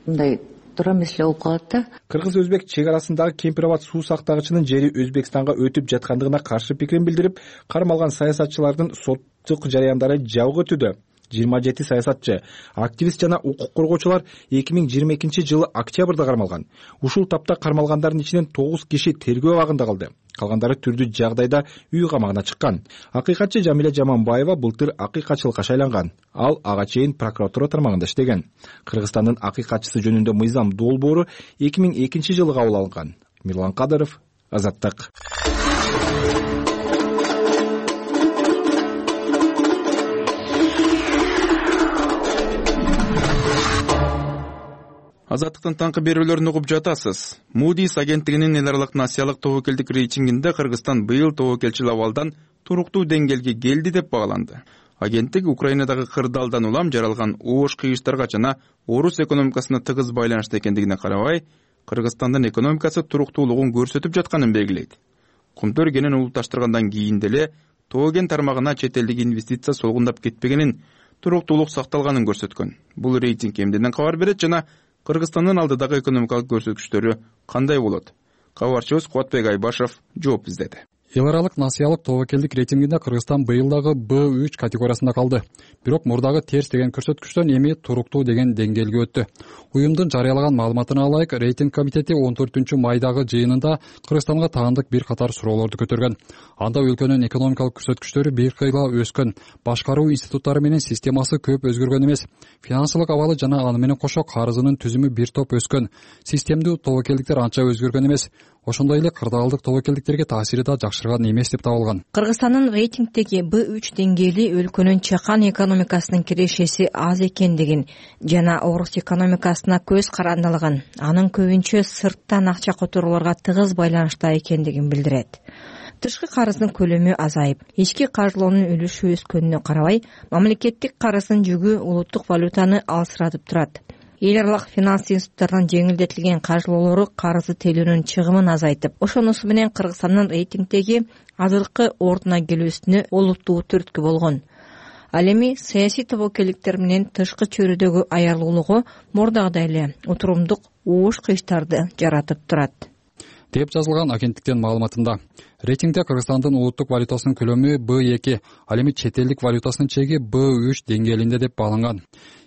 мындай туура меселе болуп калат да. Кыргыз-өзбек чек арасындагы Кемпир Абад суу сактагычынын жери Өзбекстанга өтүп жаткандыгына каршы пикирин билдирип, кармалган саясатчылардын соттук жарыяндары жабык өтүүдө. 27 саясатчы, активист жана укук коргоочулар 2022 октябрда кармалган. Ушул тапта кармалгандардын ичинен 9 киши тергөө абагында калды. Калгандары түрдүү жагдайда үй камагына чыккан. Акыйкатчы Жамиля Жаманбаева былтыр акыйкатчылыкка шайланган. Ал ага чейин прокуратура тармагында иштеген. Кыргызстандын акыйкатчысы жөнүндө мыйзам долбоору 2002 кабыл алынган. Мирлан Кадыров, Азаттык. Азаттыктын таңкы берүүлөрүн угуп жатасыз. Moody's агенттигинин эл аралык насиялык тобокелдик рейтингинде Кыргызстан быйыл тобокелчил абалдан туруктуу деңгээлге келди деп багаланды. Агенттик Украинадагы кырдаалдан улам жаралган оош кыйыштарга жана орус экономикасына тыгыз байланыштуу экендигине карабай, Кыргызстандын экономикасы туруктуулугун көрсөтүп жатканын белгилейт. Кумтөр кенен улутташтыргандан кийин деле Тоген тармагына чет элдик инвестиция солгундап кетпегенин, туруктуулук сакталганын көрсөткөн. Бул рейтинг эмнеден кабар берет жана Кыргызстандын алдыдагы экономикалык көрсөткүчтөрү кандай болот? Кабарчыбыз Кубатбек Айбашев жооп издеди. эл аралык насыялык тобокелдик рейтингинде Кыргызстан быйыл дагы B3 категориясында калды. Бирок мурдагы терс деген көрсөткүчтөн эми туруктуу деген деңгээлге өттү. Уюмдун жарыялаган маалыматына алайык, рейтинг комитети 14 майдагы жыйынында Кыргызстанга таандык бир катар суроолорду көтөргөн. Анда өлкөнүн экономикалык көрсөткүчтөрү бир кыйла өскөн, башкаруу институттары менен системасы көп өзгөргөн эмес, финансылык абалы жана аны менен кошо карызынын түзүмү бир топ өскөн, системдүү тобокелдиктер анча өзгөргөн эмес. Ошондой эле кырдаалдык тобокелдиктерге таасири да жакшырган эмес деп табылган. Кыргызстандын рейтингдеги B3 деңгээли өлкөнүн чакан экономикасынын кирешеси аз экендигин жана орус экономикасына көз карандылыгын, анын көбүнчө сырттан акча которууларга тыгыз байланышта экендигин билдирет. Тышкы карыздын көлөмү азайып, ички каржылоонун үлүшү өскөнүнө карабай, мамлекеттик карыздын жүгү улуттук валютаны алсыратып турат. Эл аралык финанс институттарынын жеңилдетилген каржылоолору карызды төлөөнүн чыгымын азайтып, ошонусу менен Кыргызстандын рейтингдеги азыркы ордуна келүүсүнө олуттуу түрткү болгон. Ал эми саясий тобокелдиктер менен тышкы чөйрөдөгү аярлуулугу мурдагыдай эле утурумдук ууш кыйыштарды жаратып турат деп жазылган агенттиктин маалыматында. Рейтингде Кыргызстандын улуттук валютасынын көлөмү B2, ал эми чет элдик валютасынын чеги B3 деңгээлинде деп бааланган.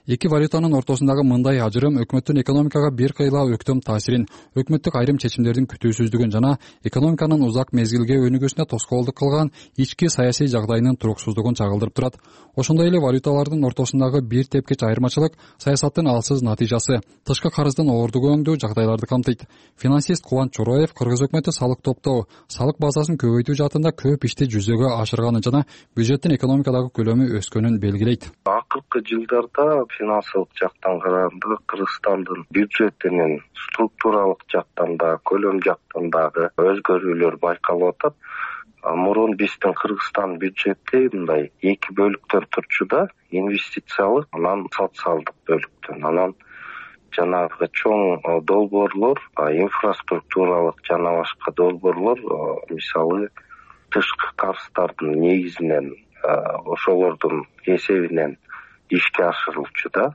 Эки валютанын ортосундагы мындай ажырым өкмөттүн экономикага бир кыйла өктөм таасирин, өкмөттүк айрым чечимдердин күтүүсүздүгүн жана экономиканын узак мезгилге өнүгүүсүнө тоскоолдук кылган ички саясий жагдайынын туруксуздугун чагылдырып турат. Ошондой эле валюталардын ортосундагы бир тепкич айырмачылык саясаттын алсыз натыйжасы, тышкы карыздын оордугөңдүү жагдайларды камтыйт. Финансист Кубанч Чороев Кыргыз өкмөтү салык топтоо, салык базасын көбөйтүү жаатында көп ишти жүзөгө ашырганын жана бюджеттин экономикадагы көлөмү өскөнүн белгилейт. Акыркы жылдарда финансылык жактан караганда Кыргызстандын бюджетинин структуралык жактан да, көлөм жактан дагы өзгөрүүлөр байкалып атат. Мурун биздин Кыргызстан бюджети мындай эки бөлүктөн турчу да, инвестициялык, анан социалдык бөлүктөн. Анан жанагы чоң долбоорлор, инфраструктуралык жана башка долбоорлор, мисалы тышкы карыздардын негизинен, ошолордун эсебинен ишке ашырылчу да.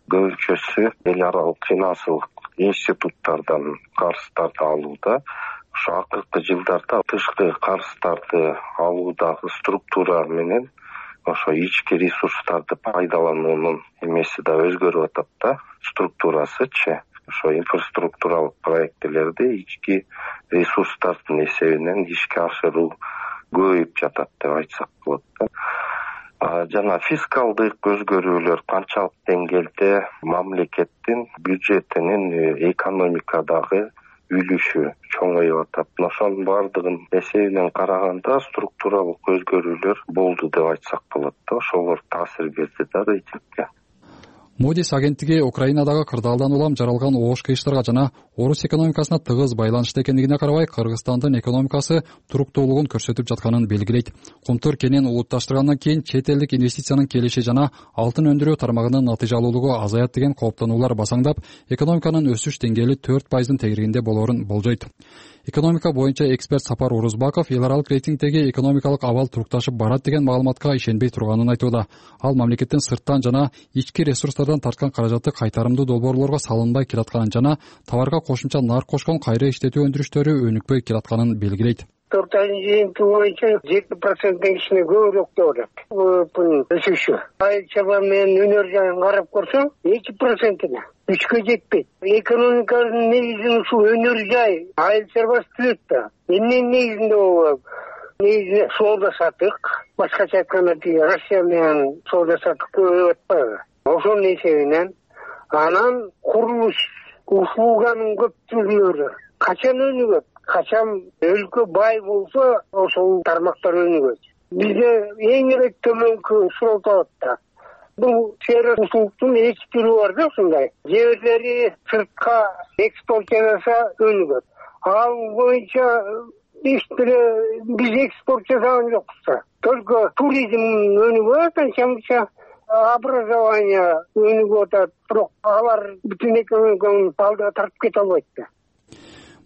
Көбүнчөсү эл аралык финансылык институттардан карыздарды алууда. Ошо акыркы жылдарда тышкы карыздарды алуудагы структура менен ошо ички ресурстарды пайдалануунун эмеси да өзгөрүп атат да, структурасычы. Ошо инфраструктуралык проектилерди ички ресурстардын эсебинен ишке ашыруу көбөйүп жатат деп айтсак болот да. Жана фискалдык өзгөрүүлөр канчалык деңгээлде мамлекеттин бюджетинин экономикадагы үлүшү чоңоюп атат. Ошонун баардыгын эсебинен караганда структуралык өзгөрүүлөр болду деп айтсак болот да. Ошолор таасир берди да рейтингге. Moody's агенттиги Украинадагы кырдаалдан улам жаралган оош кыйыштарга жана орус экономикасына тыгыз байланышта экендигине карабай, Кыргызстандын экономикасы туруктуулугун көрсөтүп жатканын белгилейт. Кумтур кенен улутташтыргандан кийин чет элдик инвестициянын келиши жана алтын өндүрүү тармагынын натыйжалуулугу азаят деген кооптонуулар басаңдап, экономиканын өсүш деңгээли 4% тегерегинде болоорун болжойт. Экономика боюнча эксперт Сапар Урузбаков эл аралык рейтингдеги экономикалык абал турукташып барат деген маалыматка ишенбей турганын айтууда. Ал мамлекеттин сырттан жана ички ресурстардан тарткан каражаты кайтарымдуу долбоорлорго салынбай келатканын жана товарга кошумча нарк кошкон кайра иштетүү өндүрүштөрү өнүкпөй келатканын белгилейт. 4 айдын жыйынтыгы боюнча 7%-тен кичине көбүрөөк деп атат. Бул өсүшү. Айыл чарба менен өнөр жайын карап көрсөң, 2%-не 3-кө жетпейт. Экономиканын негизин ушул өнөр жай, айыл чарбасы түзөт да. Эмненин негизинде болот? Негизи соода сатык, башкача айтканда Россия менен соода сатык көбөйүп атпайбы? Ошонун эсебинен анан курулуш услуганын көптүгүлөрү качан өнүгөт? Качан өлкө бай болсо, ошол тармактар өнүгөт. Бизде эң эле төмөнкү суроо табат да. Бул сфера услугтун экспорту бар да, ушундай. Жебирлери сыртка экспорт жасаса өнүгөт. Ал боюнча биз экспорт жасаган жокпуз. Только туризм өнүгөт, анча образование өнүгүп атат, бирок алар бүтүн экономиканы алдыга тартып кете албайт да.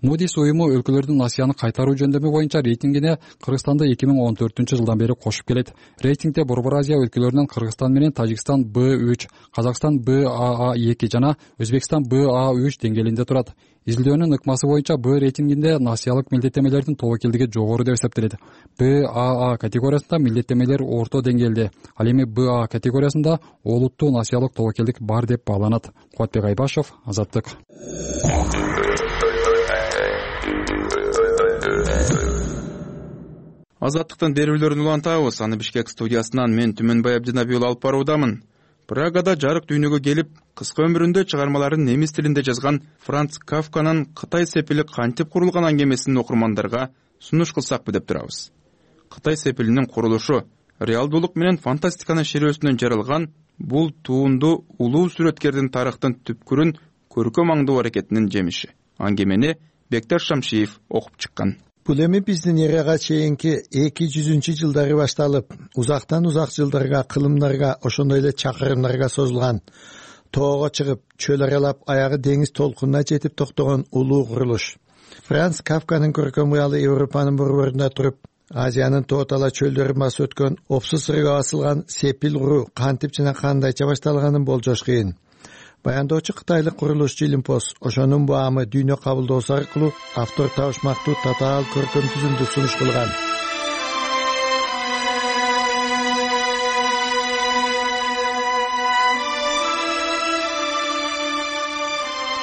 Moody's уюму өлкөлөрдүн насыяны кайтаруу жөндөмү боюнча рейтингине Кыргызстанды 2014 жылдан бери кошуп келет. Рейтингде Борбор Азия өлкөлөрүнөн Кыргызстан менен Тажикстан B3, Казакстан BAA2 жана Өзбекстан BA3 деңгээлинде турат. изилдөөнүн ыкмасы боюнча Б рейтингинде насыялык милдеттемелердин тобокелдиги жогору деп эсептелет. БАА категориясында милдеттемелер орто деңгээлде, ал эми БА категориясында олуттуу насыялык тобокелдик бар деп бааланат. Кубатбек Айбашев, Азаттык. Азаттыктын берүүлөрүн улантабыз. Аны Бишкек студиясынан мен Түмөнбай Абдинабий алып баруудамын. Прагада жарык дүйнөгө келип, кыска өмүрүндө чыгармаларын немис тилинде жазган Франц Кафканын Кытай сепили кантип курулган аңгемесин окурмандарга сунуш кылсакпы деп турабыз. Кытай сепилинин курулушу реалдуулук менен фантастиканын шерөөсүнөн жаралган бул туунду улуу сүрөткердин тарыхтын түпкүрүн көркөм аңдоо аракетинин жемиши. Аңгемени Бекташ Шамшиев окуп чыккан. Бул эми биздин эрага чейинки 200-жылдары башталып, узактан узак жылдарга, кылымдарга, ошондой эле чакырымдарга созулган, тоого чыгып, чөл аралап, аягы деңиз толкунуна жетип токтогон улуу курулуш. Франц Кафканын көркөм кыялы Европанын борборунда туруп, Азиянын тоотала чөлдөрүн басып өткөн опсуз сырга басылган сепил уруу кантип жана кандайча башталганын болжош кыйын. Баяндоочу кытайлык курулушчу Илимпоз ошонун баамы дүйнө кабылдоосу аркылуу автор табышмактуу татаал көркөм түзүмдү сунуш кылган.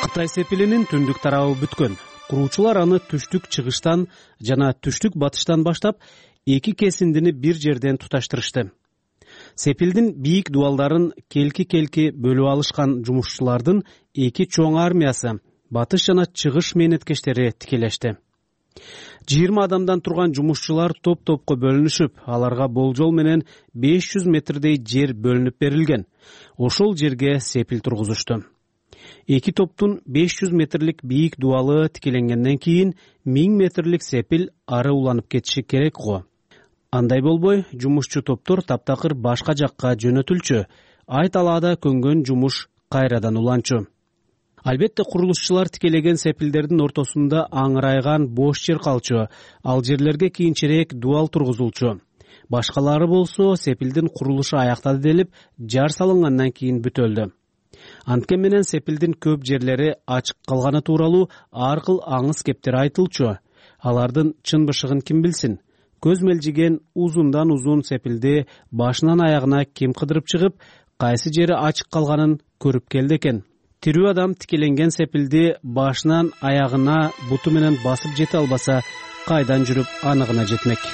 Кытай сепилинин түндүк тарабы бүткөн. Куруучулар аны түштүк чыгыштан жана түштүк батыштан баштап эки кесиндини бир жерден туташтырышты. Сепилдин бийик дубалдарын келки бөлүп алышкан жумушчулардын эки чоң армиясы, батыш жана чыгыш мээнеткештери тикелешти. 20 адамдан турган жумушчулар топ-топко бөлүнүшүп, аларга болжол менен 500 метрдей жер бөлүнүп берилген. Ошол жерге сепил тургузушту. Эки топтун 500 метрлик бийик дубалы тикеленгенден кийин 1000 метрлик сепил ары уланып кетиши керек го. Андай болбой, жумушчу топтор таптакыр башка жакка жөнөтүлчү, ай талаада көнгөн жумуш кайрадан уланчу. Албетте курулушчулар тикелеген сепилдердин ортосунда аңырайган бош жер калчу, ал жерлерге кийинчерээк дубал тургузулчу. Башкалары болсо сепилдин курулушу аяктады делип, жар салынгандан кийин бүтөлдү. Анткени менен сепилдин көп жерлери ачык калганы тууралуу ар кыл аңыз кептер айтылчу. Алардын чын бышыгын ким билсин? Көз мелжиген узундан узун сепилди башынан аягына ким кыдырып чыгып, кайсы жери ачык калганын көрүп келди экен. Тирүү адам тикеленген сепилди башынан аягына буту менен басып жете албаса, кайдан жүрүп аныгына жетмек?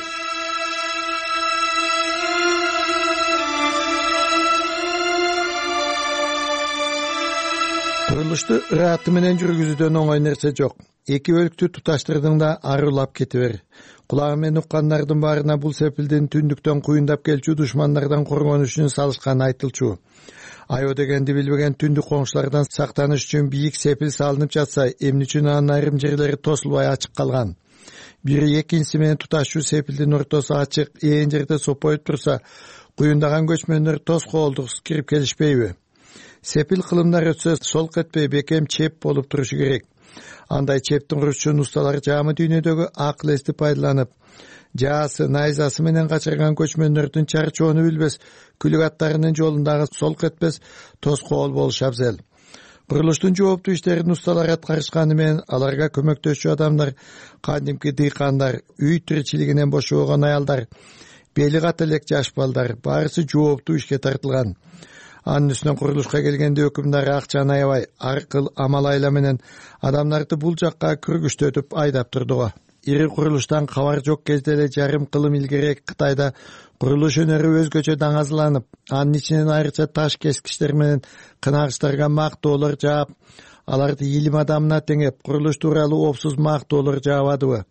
Курулушту ыраты менен жүргүзүүдөн оңой нерсе жок. Эки өлүктү туташтырдың да ары улап кете бер. Кулагы менен уккандардын баарына бул сепилдин түндүктөн куюндап келчү душмандардан коргонуш үчүн салышканы айтылчу. Айоо дегенди билбеген түндүк коңшулардан сактаныш үчүн бийик сепил салынып жатса, эмне үчүн анын айрым жерлери тосулбай ачык калган? Бири экинчиси менен туташчу сепилдин ортосу ачык, ээн жерде сопоюп турса, куюндаган көчмөндөр тос коолдуксуз кирип келишпейби? Сепил кылымдар өтсө солк этпей бекем чеп болуп турушу керек. Андай чептин курушчун усталар жаамы дүйнөдөгү акыл эсти пайдаланып, жаасы, найзасы менен качырган көчмөндөрдүн чарчоону билбес, күлүк аттарынын жолундагы солк этпес тос коол болуш абзел. Курулуштун жооптуу иштерин усталар аткарышканы менен аларга көмөктөшчү адамдар, кадимки дыйкандар, үй тиричилигинен бошобогон аялдар, бели ката элек жаш балдар баарысы жооптуу ишке тартылган. Анын үстүнөн курулушка келгенде өкүмдар акчаны аябай ар кыл амал айла менен адамдарды бул жакка күргүчтөтүп айдап турду го. Ири курулуштан кабар жок кезде эле жарым кылым илгерээк Кытайда курулуш өнөрү өзгөчө даңазаланып, анын ичинен айрыкча таш кескичтер менен кынагычтарга мактоолор жаап, аларды илим адамына теңеп, курулуш тууралуу опсуз мактоолор жаабадыбы?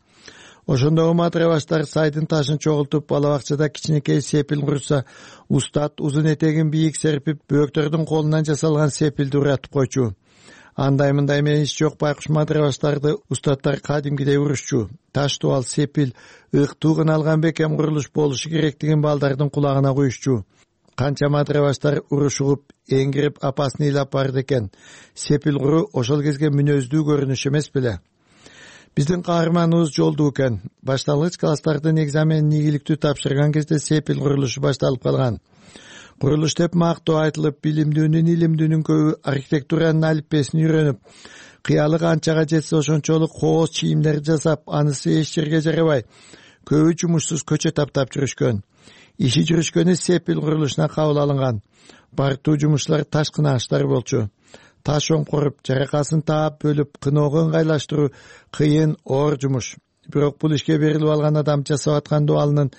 Ошондогу матырабаштар сайдын ташын чогултуп, бала бакчада кичинекей сепил курса, устат узун этегин бийик серпип, бөөктөрдүн колунан жасалган сепилди уратып койчу. Андай-мындай менен иш жок байкуш матырабаштарды устаттар кадимкидей урушчу. Таш дубал сепил ыктуугун алган бекем курулуш болушу керектигин балдардын кулагына куюшчу. Канча матырабаштар уруш угуп, эңгирип апасын ыйлап барды экен. Сепил куруу ошол кезге мүнөздүү көрүнүш эмес беле? Биздин каарманыбыз жолдуу экен. Башталгыч класстардын экзаменин ийгиликтүү тапшырган кезде сепил курулушу башталып калган. курулуш деп мактоо айтылып, билимдүүнүн, илимдүүнүн көбү архитектуранын алипбесин үйрөнүп, кыялы канчага жетсе ошончолук кооз чийимдер жасап, анысы эч жерге жарабай, көбү жумушсуз көчө таптап жүрүшкөн. Иши жүрүшкөнү Сепил курулушуна кабыл алынган. Бардуу жумушчулар таш кынааштар болчу. Таш оңкоруп, жаракасын таап бөлүп, кыноого ыңгайлаштыруу кыйын, оор жумуш. Бирок бул ишке берилип алган адам жасап аткан дуалынын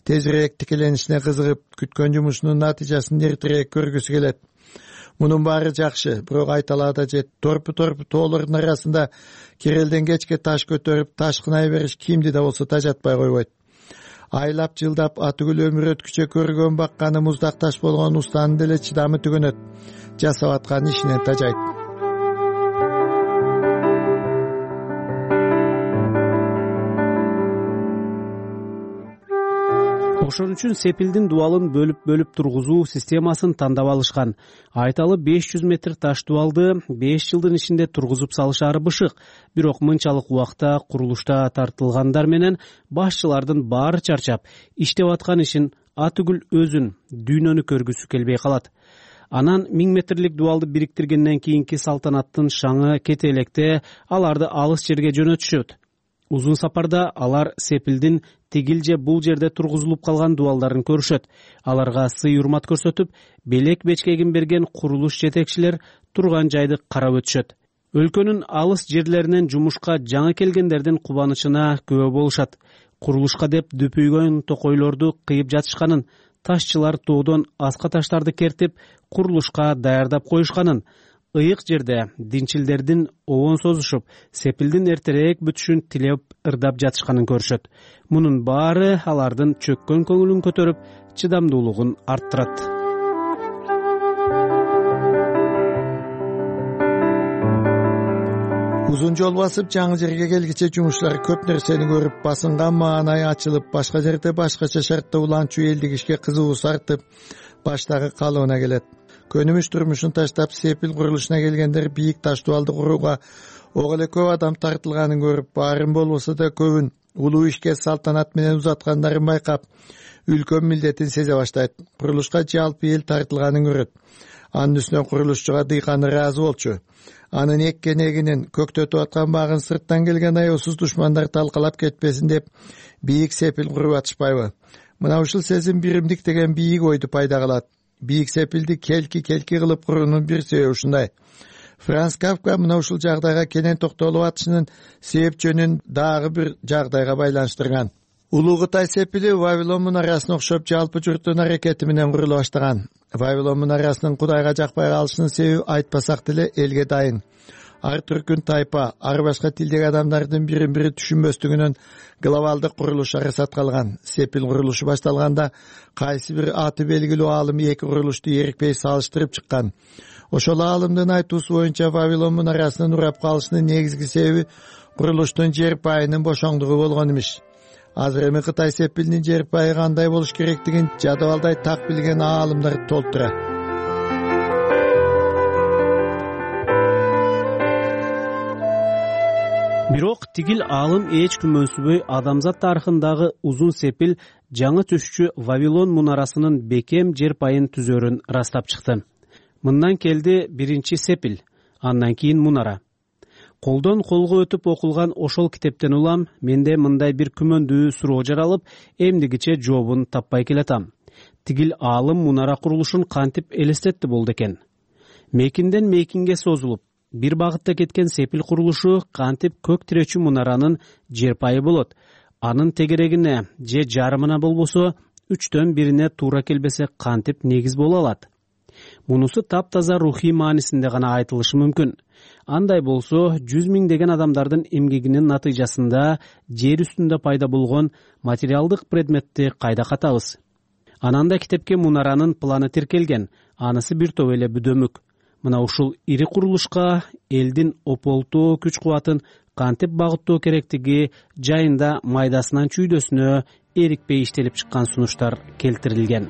тезирээк тикеленишине кызыгып, күткөн жумушунун натыйжасын эртерээк көргүсү келет. Мунун баары жакшы, бирок айталаада жет. Торпу тоолордун арасында керелден кечке таш көтөрүп, таш кынай бериш кимди да болсо тажатпай койбойт. Айлап жылдап атүгүл өмүр өткүчө көргөн бакканы муздак таш болгон устанын деле чыдамы түгөнөт. Жасап аткан ишинен тажайт. Ошон үчүн Сепилдин дуалын бөлүп тургузуу системасын тандап алышкан. Айталы 500 метр таш дуалды 5 жылдын ичинде тургузуп салышары бышык. Бирок мынчалык убакта курулушта тартылгандар менен башчылардын баары чарчап, иштеп аткан ишин атүгүл өзүн, дүйнөнү көргүсү келбей калат. Анан 1000 метрлик дуалды бириктиргенден кийинки салтанаттын шаңы кете электе аларды алыс жерге жөнөтүшөт. Узун сапарда алар Сепилдин тигил же бул жерде тургузулуп калган дуалдарын көрүшөт. Аларга сый-урмат көрсөтүп, белек бечкегин берген курулуш жетекчилер турган жайды карап өтүшөт. Өлкөнүн алыс жерлеринен жумушка жаңы келгендердин кубанычына күбө болушат. Курулушка деп дүпүйгөн токойлорду кыйып жатышканын, ташчылар тоодон аска таштарды кертип, курулушка даярдап коюшканын, ыйык жерде динчилдердин обон созушуп, Сепилдин эртерээк бүтүшүн тилеп ырдап жатышканын көрүшөт. Мунун баары алардын чөккөн көңүлүн көтөрүп, чыдамдуулугун арттырат. Узун жол басып, жаңы жерге келгиче жумушчулар көп нерсени көрүп, басынган маанай ачылып, башка жерде башкача шартта уланчу элдик ишке кызыгуусу артып, баштагы калыбына келет. Көнүмүш турмушун таштап, Сепил курулушуна келгендер бийик таш дуалды курууга ого эле көп адам тартылганын көрүп, баарын болбосо да көбүн улуу ишке салтанат менен узаткандарын байкап, үлкөн милдетин сезе баштайт. Курулушка жалпы эл тартылганын көрөт. Анын үстүнө курулушчуга дыйканы ыраазы болчу. Анын эккен эгинин, көктөтүп аткан багын сырттан келген аеосуз душмандар талкалап кетпесин деп, бийик Сепил куруп атышпайбы? Мына ушул сезим биримдик деген бийик ойду пайда кылат. Бийик Сепилди келки кылып куруунун бир себеби ушундай. Франц Кафка мына ушул жагдайга кенен токтолуп атышынын себеп жөнүн дагы бир жагдайга байланыштырган. Улуу Кытай Сепили Вавилон мунарасына окшоп жалпы журттун аракети менен курула баштаган. Вавилон мунарасынын Кудайга жакпай калышынын себеби айтпасак деле элге дайын. Ар түркүн тайпа, ар башка тилдеги адамдардын бирин-бири түшүнбөстүгүнөн глобалдык курулуш арасат калган. Сепил курулушу башталганда кайсы бир аты белгилүү аалым эки курулушту эрикпей салыштырып чыккан. Ошол аалымдын айтуусу боюнча Вавилон мунарасынын урап калышынын негизги себеби курулуштун жер пайынын бошоңдугу болгон имиш. Азыр эми Кытай Сепилинин жер пайы кандай болуш керектигин жадыбалдай так билген аалымдар толтура. Бирок тигил аалым эч күмөнсүнбөй адамзат тарыхындагы узун Сепил жаңы түшчү Вавилон мунарасынын бекем жер пайын түзөрүн ырастап чыкты. Мындан келди биринчи Сепил, андан кийин мунара. Колдон колго өтүп окулган ошол китептен улам менде мындай бир күмөндүү суроо жаралып, эмдигиче жообун таппай келатам. Тигил аалым мунара курулушун кантип элестетти болду экен? Мекинден мекинге созулуп, бир багытта кеткен Сепил курулушу кантип көк тиречү мунаранын жер пайы болот? Анын тегерегине же жарымына болбосо 3төн 1-ине туура келбесе кантип негиз боло алат? Мунусу таптаза рухий маанисинде гана айтылышы мүмкүн. Андай болсо 100 миңдеген адамдардын эмгегинин натыйжасында жер үстүндө пайда болгон материалдык предметти кайда катабыз? Анан да китепке мунаранын планы тиркелген, анысы бир топ эле бүдөмүк. Мына ушул ири курулушка элдин ополтоо күч-кубатын кантип багыттоо керектиги жайында майдасынан чүйдөсүнө эрикпей иштелип чыккан сунуштар келтирилген.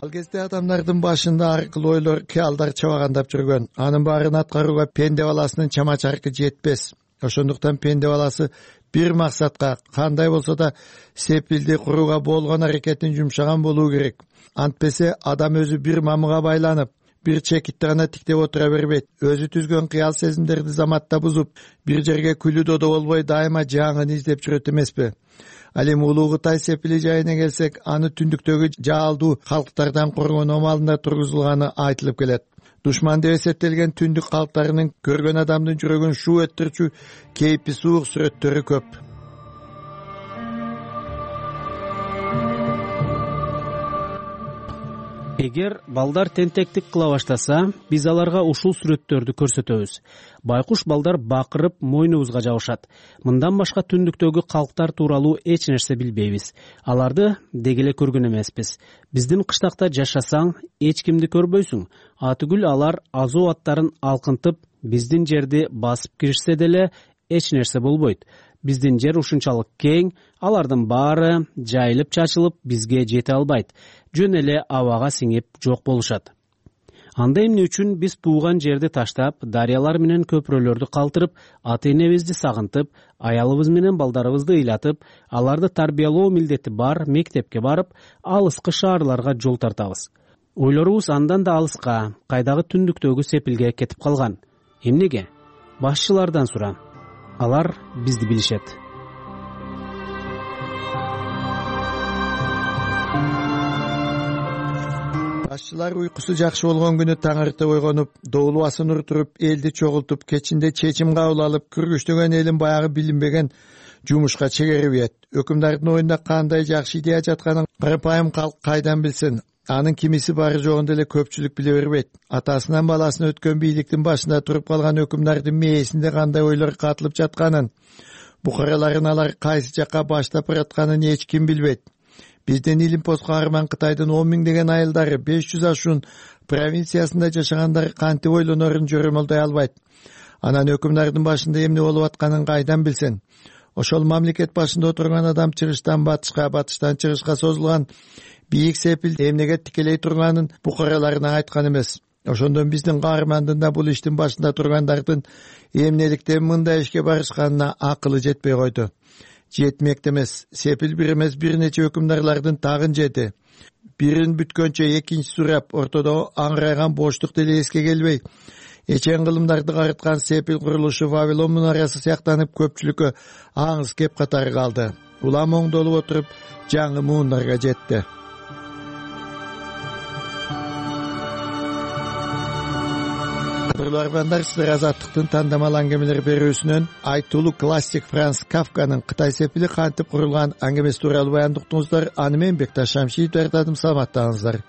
Ал кезде адамдардын башында ар кыл ойлор, кыялдар чабагандап жүргөн. Анын баарын аткарууга пенде баласынын чама-чаркы жетпес. ошондуктан пенде баласы бир максатка, кандай болсо да сепилди курууга болгон аракетин жумшаган болуу керек. Антпесе адам өзү бир мамыга байланып, бир чекитти гана тиктеп отура бербейт. Өзү түзгөн кыял сезимдерди заматта бузуп, бир жерге күлү додо болбой дайыма жаңын издеп жүрөт эмеспи? Ал эми улуу Кытай сепили жайына келсек, аны түндүктөгү жаалдуу калктардан коргонуу амалында тургузулганы айтылып келет. Душман деп эсептелген түндүк калктарынын көргөн адамдын жүрөгүн шуу өттүрчү кейпи суук сүрөттөрү көп. Эгер балдар тентектик кыла баштаса, биз аларга ушул сүрөттөрдү көрсөтөбүз. Байкуш балдар бакырып мойнубузга жабышат. Мындан башка түндүктөгү калктар тууралуу эч нерсе билбейбиз. Аларды деги эле көргөн эмеспиз. Биздин кыштакта жашасаң, эч кимди көрбөйсүң. Атүгүл алар азуу аттарын алкынтып, биздин жерди басып киришсе деле эч нерсе болбойт. Биздин жер ушунчалык кең, алардын баары жайылып чачылып бизге жете албайт. Жөн эле абага сиңип жок болушат. Анда эмне үчүн биз тууган жерди таштап, дарыялар менен көпүрөлөрдү калтырып, ата-энебизди сагынтып, аялыбыз менен балдарыбызды ыйлатып, аларды тарбиялоо милдети бар мектепке барып, алыскы шаарларга жол тартабыз. Ойлорубуз андан да алыска, кайдагы түндүктөгү сепилге кетип калган. Эмнеге? Башчылардан сура. Алар бизди билишет. Башчылар уйкусу жакшы болгон күнү таң эрте ойгонуп, доолубасын уртуруп, элди чогултуп, кечинде чечим кабыл алып, күргүчтөгөн элин баягы билинбеген жумушка чегерип ийет. Өкүмдардын оюнда кандай жакшы идея жатканын карапайым калк кайдан билсин? Анын кимиси бары жогунда эле көпчүлүк биле бербейт. Атасынан баласына өткөн бийликтин башында туруп калган өкүмдардын мээсинде кандай ойлор катылып жатканын, букараларын алар кайсы жакка баштап баратканын эч ким билбейт. Биздин Илимпоз каарман Кытайдын 10 миңдеген айылдары 500 ашуун провинциясында жашагандар кантип ойлонорун жөрөмөлдөй албайт. Анан өкүмдардын башында эмне болуп атканын кайдан билсин? Ошол мамлекет башында отурган адам чыгыштан батышка, батыштан чыгышка созулган бийик сепил эмнеге тикелей турганын букараларына айткан эмес. Ошондон биздин каармандын да бул иштин башында тургандардын эмнеликтен мындай ишке барышканына акылы жетпей койду. Жетмекте эмес, сепил бир эмес бир нече өкүмдарлардын тагын жети. Бирин бүткөнчө экинчиси сурап, ортодо аңырайган боштук деле эске келбей, эчен кылымдарды карыткан сепил курулушу Вавилон мунарасы сыяктанып көпчүлүккө аңыз кеп катары калды. Улам оңдолуп отуруп, жаңы муундарга жетти. Кадрларбандар, сиздер Азаттыктын тандамал аңгемелер берүүсүнөн айтылуу классик Франц Кафканын Кытай сепили кантип курулган аңгемеси тууралуу баяндыктыңыздар. Аны мен Бекташ Шамшиев даярдадым. Саламаттаңыздар.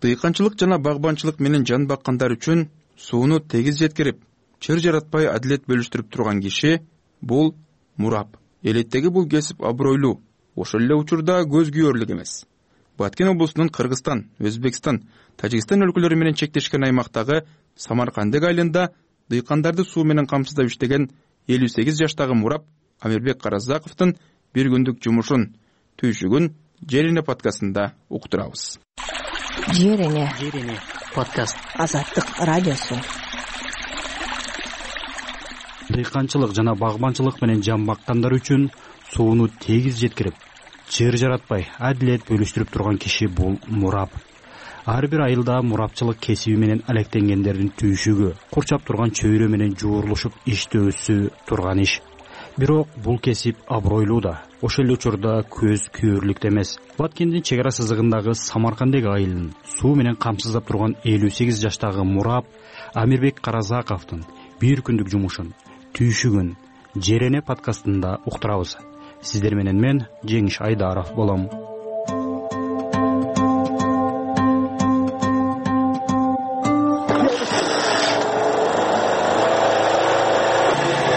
Дыйканчылык жана багбанчылык менен жан баккандар үчүн сууну тегиз жеткирип, чыр жаратпай адилет бөлүштүрүп турган киши бул мурап. Элеттеги бул кесип абройлуу, ошол эле учурда көз күйөрлүк эмес. Баткен облусунун Кыргызстан, Өзбекстан, Тажикстан өлкөлөрү менен чектешкен аймактагы Самаркандык айылында дыйкандарды суу менен камсыздап иштеген 58 жаштагы мурап Амирбек Каразаковдун бир күндүк жумушун түйшүгүн Жерине подкастында уктурабыз. Жерине подкаст. Азаттык радиосу. Дыйканчылык жана багбанчылык менен жан баккандар үчүн сууну тегиз жеткирип, чыр жаратпай адилет бөлүштүрүп турган киши бул мурап. Ар бир айылда мурапчылык кесиби менен алектенгендердин түйшүгү, курчап турган чөйрө менен жуурулушуп иштөөсү турган иш. Бирок бул кесип абройлуу да, ошол эле учурда көз күйөрлүк эмес. Баткендин чек ара сызыгындагы Самаркандык айылын суу менен камсыздап турган 58 жаштагы мурап Амирбек Каразаковдун бир күндүк жумушун түйшүгүн Жерене подкастында уктурабыз. Сиздер менен мен Жеңиш Айдаров болом.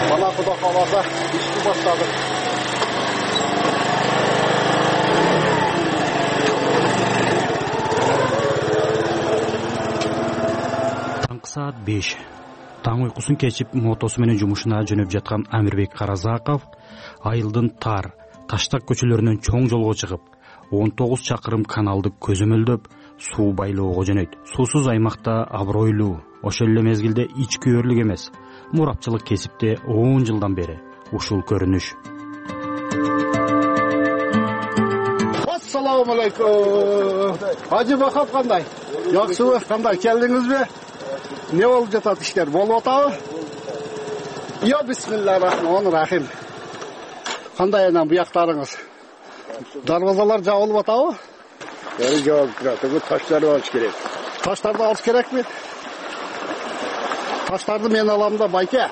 Мана Кудай кааласа ишти баштадык. таң уйкусун кечип мотосу менен жумушуна жөнөп жаткан Амирбек Каразаков айылдын тар таштак көчөлөрүнөн чоң жолго чыгып 19 чакырым каналды көзөмөлдөп суу байлоого жөнөйт. Суусуз аймакта абройлуу, ошол эле мезгилде ичкүйөрлүк эмес, мурапчылык кесипте 10 жылдан бери ушул көрүнүш. Ассаламу алейкум. Ажы Бахап кандай? Жакшыбы? Кандай келдиңизби? Не болуп жатат иштер? Болуп атабы? Йо, бисмиллахир-рахманир-рахим. Кандай анан буяктарыңыз? Дарбазалар жабылып атабы? Жабылып турат. Бу таштарды алыш керек. Таштарды алыш керекпи? Таштарды мен алам да, байке.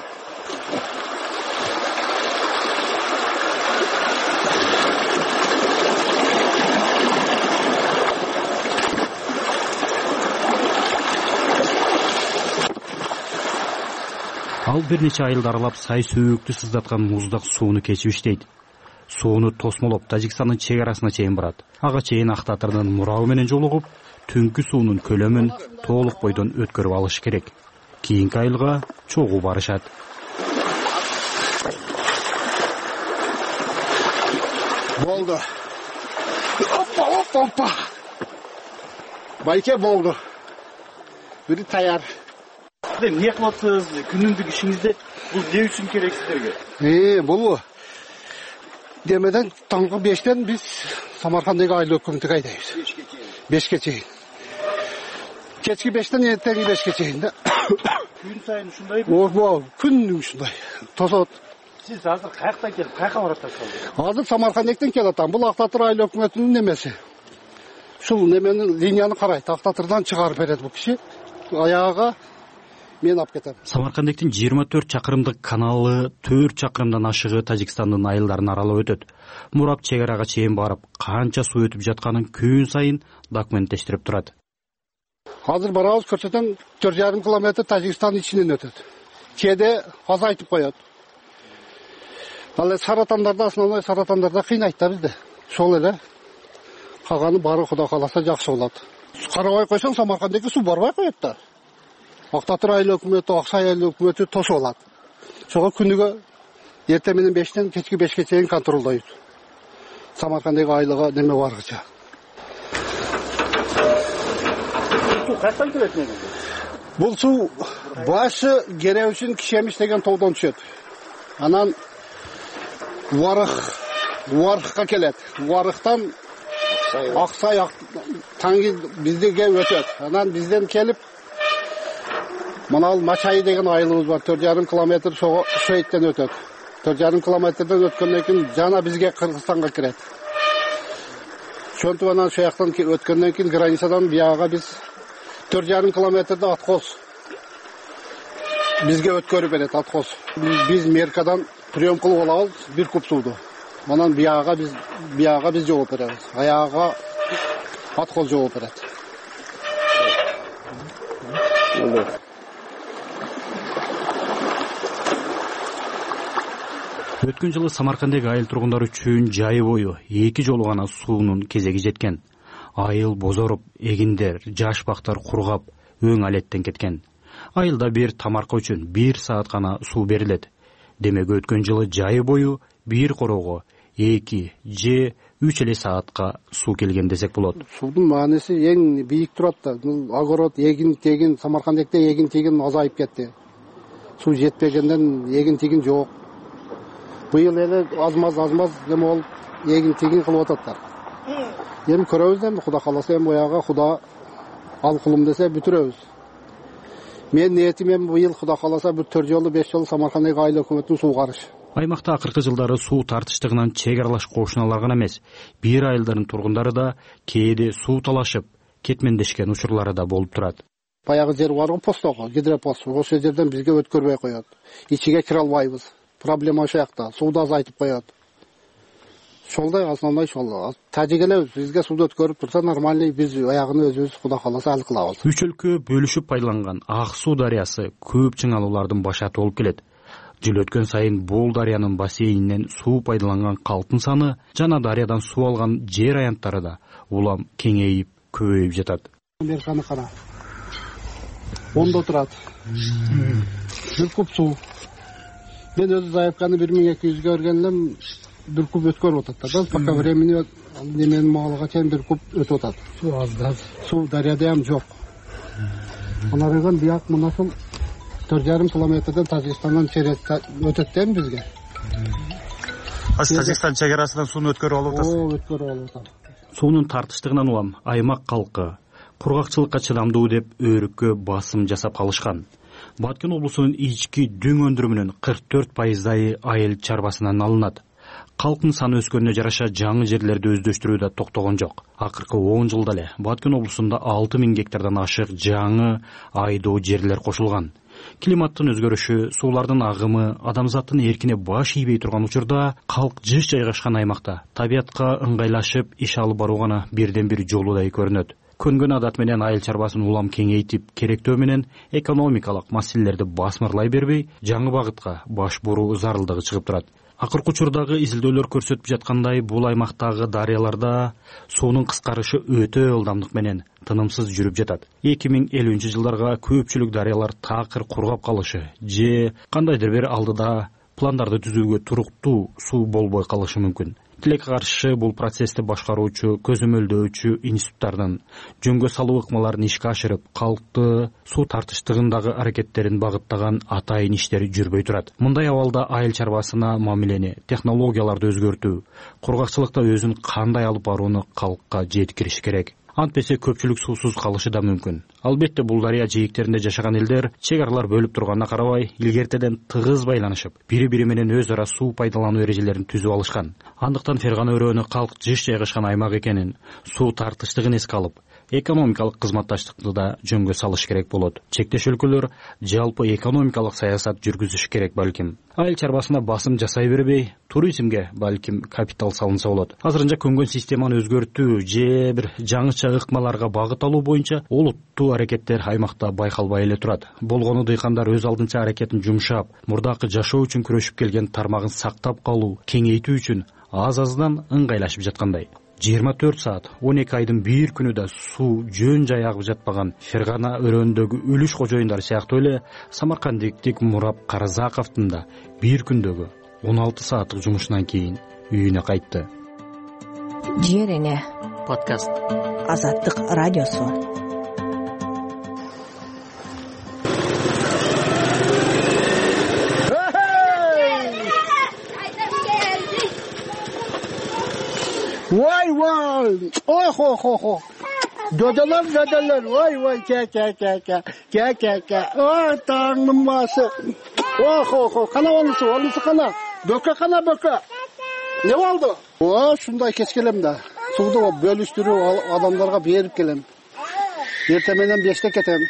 Ал бир нече айылды аралап сай сөөктү сыздаткан муздак сууну кечип иштейт. Сууну тосмолоп Тажикстандын чек арасына чейин барат. Ага чейин ак татырдын мурабы менен жолугуп, түнкү суунун көлөмүн толук бойдон өткөрүп алыш керек. Кийинки айылга чогуу барышат. Болду. Опа. Байке болду. Бири таяр. Эмне кылып атасыз? Күнүмдүк ишиңизде бул эмне үчүн керек силерге? Бул демеден таңкы 5тен биз Самаркандагы айыл өкмөтүгө айдайбыз. 5ке чейин. Кечки 5тен эртеңки 5ке чейин да. Күн сайын ушундайбы? Күнү ушундай. Тосот. Сиз азыр каяктан келип, каяка барып атасыз? Азыр Самаркандактан келип атам. Бул Актатыр айыл өкмөтүнүн немеси. Ушул неменин линияны карайт. Актатырдан чыгарып берет бул киши. Аяга мен алып кетем. Самаркандактын 24 чакырымдык каналы 4 чакырымдан ашыгы Тажикстандын айылдарын аралап өтөт. Мурап чек арага чейин барып, канча суу өтүп жатканын күн сайын документтештирип турат. Азыр барабыз, көрсөтөм 4,5 километр Тажикстандын ичинен өтөт. Кээде азайтып коет. Ал саратандарда, основной саратандарда кыйнайт да бизди. Ошол эле калганы баары Кудай кааласа жакшы болот. Карабай койсоң Самаркандагы суу барбай коет да. Актатыр айыл өкмөтү, Аксай айыл өкмөтү тосуп алат. Ошого күнүгө эртең менен 5тен кечки 5ке чейин контролдойт. Самаркандагы айылга неме баргыча. Суу каяктан келет негизи? Бул суу башы Керебишин Кишемиш деген тоодон түшөт. Анан Варыкка келет. Варыктан Аксай таңги биздиге өтөт. Анан бизден келип мына Мачай деген айылыбыз бар. 4,5 километр Шойттен өтөт. 4,5 километрден өткөндөн кийин жана бизге Кыргызстанга кирет. Ошентип анан ошол жактан өткөндөн кийин границадан бияга биз 4,5 километрде откос бизге өткөрүп берет, откос. Биз Меркадан прием кылып алабыз бир куб сууду. Анан бияга биз жооп беребиз. Аяга откос жооп берет. Өткөн жылы Самаркандагы айыл тургундары үчүн жайы бою 2 жолу гана суунун кезеги жеткен. Айыл бозоруп, эгиндер, жаш бактар кургап, өң алеттен кеткен. Айылда бир тамарка үчүн 1 саат гана суу берилет. Демек өткөн жылы жайы бою бир короого 2 же 3 эле саатка суу келген десек болот. Суудун мааниси эң бийик турат да. Огород, эгин-тегин, Самаркандакта эгин-тегин азайып кетти. Суу жетпегенден эгин-тегин жок. Быйыл эле азмаз неме болуп эгин-тегин кылып ататтар. Эми көрөбүз эми Кудай кааласа эми бояга Куда ал кулум десе бүтүрөбүз. Мен ниетим эми быйыл Кудай кааласа бир 4 жолу 5 жолу Самаркандагы айыл өкмөтүнүн суу карыш. Аймакта акыркы жылдары суу тартыштыгынан чек аралаш кошуналар гана эмес, бир айылдардын тургундары да кээде суу талашып, кетмендешкен учурлары да болуп турат. Баягы жер бар постого, гидропост, ошол жерден бизге өткөрбөй коет. Ичиге кире албайбыз. Проблема ошол жакта. Сууду азайтып коет. Ошолдой основной ошол. Тажик элебиз, бизге сууду өткөрүп турса нормальный, биз аягын өзүбүз Кудай кааласа ал кылабыз. Үч өлкө бөлүшүп пайдаланган Ак суу дарыясы көп чыңалуулардын башаты болуп келет. Жыл өткөн сайын бул дарыянын бассейнинен суу пайдаланган калктын саны жана дарыядан суу алган жер аянттары да улам кеңейип, көбөйүп жатат. Американы кара. Ондо турат. бир куб суу. Мен өзү заявканы 1200 берген элем, бир куб өткөрүп атат да. Пока времени неменин маалыга чейин бир куб өтүп атат. Суу аз да. Суу дарыяда ham жок. Алардан бияк мына ушул 4,5 километрден Тажикстандан через өтөт да бизге. Тажикстан чек арасынан сууну өткөрүп алып атасыз? Өткөрүп алып атам. Суунун тартыштыгынан улам аймак калкы кургакчылыкка чыдамдуу деп өөрүккө басым жасап калышкан. Баткен облусунун ички дүң өндүрүмүнүн 44% айыл чарбасынан алынат. Калктын саны өскөнүнө жараша жаңы жерлерди өздөштүрүү да токтогон жок. Акыркы 10 жылда эле Баткен облусунда 6000 гектардан ашык жаңы айдоо жерлер кошулган. Климаттын өзгөрүшү, суулардын агымы, адамзаттын эркине баш ийбей турган учурда калк жыш жайгашкан аймакта табиятка ыңгайлашып иш алып баруу гана бирден бир жолудай көрүнөт. Көнгөн адат менен айыл чарбасын улам кеңейтип, керектөө менен экономикалык маселелерди басмырлай бербей, жаңы багытка баш буруу зарылдыгы чыгып турат. Акыркы учурдагы изилдөөлөр көрсөтүп жаткандай, бул аймактагы дарыяларда суунун кыскарышы өтө ылдамдык менен тынымсыз жүрүп жатат. 2050-жылдарга көпчүлүк дарыялар такыр кургап калышы же кандайдыр бир алдыда пландарды түзүүгө туруктуу суу болбой калышы мүмкүн. Тилекке каршы бул процессти башкаруучу, көзөмөлдөөчү институттардын жөнгө салуу ыкмаларын ишке ашырып, калкты суу тартыштыгындагы аракеттерин багыттаган атайын иштери жүрбөй турат. Мындай абалда айыл чарбасына мамилени, технологияларды өзгөртүү, кургакчылыкта өзүн кандай алып барууну калкка жеткириш керек. Антпесе көпчүлүк суусуз калышы да мүмкүн. Албетте бул дарыя жээктеринде жашаган элдер чек аралар бөлүп турганына карабай, илгертеден тыгыз байланышып, бири-бири менен өз ара суу пайдалануу эрежелерин түзүп алышкан. Андыктан Фергана өрөөнү калк жыш жайгашкан аймак экенин, суу тартыштыгын эске алып, экономикалык кызматташтыкты да жөнгө салыш керек болот. Чектеш өлкөлөр жалпы экономикалык саясат жүргүзүш керек балким. Айыл чарбасына басым жасай бербей, туризмге балким капитал салынса болот. Азырынча көнгөн системаны өзгөртүү же бир жаңыча ыкмаларга багыт алуу боюнча олуттуу аракеттер аймакта байкалбай эле турат. Болгону дыйкандар өз алдынча аракетин жумшап, мурдакы жашоо үчүн күрөшүп келген тармагын сактап калуу, кеңейтүү үчүн аз-аздан ыңгайлашып жаткандай. 24 саат, 12 айдын бир күнүдө суу жөн жай агып жатпаган Фергана өрөөндөгү үлүш кожоюндар сыяктуу эле самаркандиктик Мурап Каразаковдун да бир күндөгү 16 сааттык жумушунан кийин үйүнө кайтты. Жер эне подкаст. Азаттык радиосу. Vay vay. Oh. Dödeler. Vay. Ke. Oh Tanrım bası. Oh. Kana onusu kana. Böke. Ne oldu? Şunday keskelem de. Suudu bölüştürüp adamlarga berip kelem. Ertemenden 5'te ketem.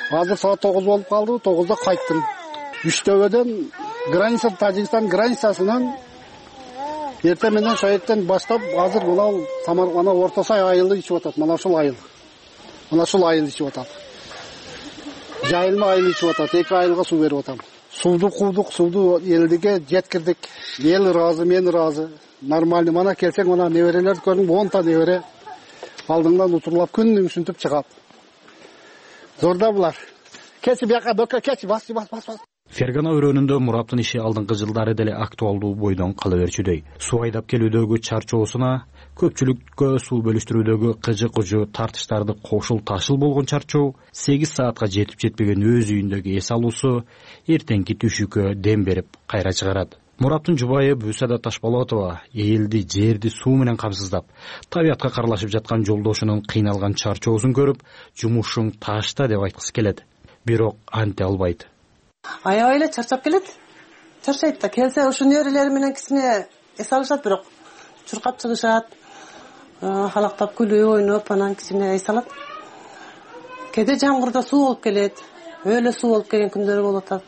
Hazır saat 9 bolup kaldı. 9'da kayttım. Üçtöbödөн Tacikistan границасынан эртеменден шаеттен баштап азыр мына Самарканда Орто Сай айылы ичип атат. Мына ушул айыл ичип атат. Жайылма айыл ичип атат. 2 айылга суу берип атам. Сууду курдук, сууду элдиге жеткирдик. Эл ыраазы, мен ыраазы. Нормально. Мана келсең, мана неберелерди көрдүң, 10 та небере алдыңдан утурлап күнү ушинтип чыгат. Зорда булар. Keçи бияка бөкө keçи бас. Фергана өрөөнүндө Мураптын иши алдыңкы жылдары деле актуалдуу бойдон кала берчүдөй. Суу айдап келүүдөгү чарчоосуна, көпчүлүккө суу бөлүштүрүүдөгү кыжы-кужу тартыштарды кошул ташыл болгон чарчоо, 8 саатка жетип-жетпеген өз үйүндөгү эс алуусу эртеңки түшүккө дем берип кайра чыгарат. Мураптын жубайы Бүсада Ташболотова элди, жерди суу менен камсыздап, табиятка каралашып жаткан жолдошунун кыйналган чарчоосун көрүп, жумушуң ташта деп айткысы келет. Бирок анте албайт. Аябай эле чарчап келет. Чарчайт да, келсе ушу неберелери менен кичине эс алышат, бирок чуркап чыгышат, халактап күлүп, ойноп, анан кичине эс алат. Кээде жамгырда суу болуп келет, өлө суу болуп келген күндөрү болуп атат.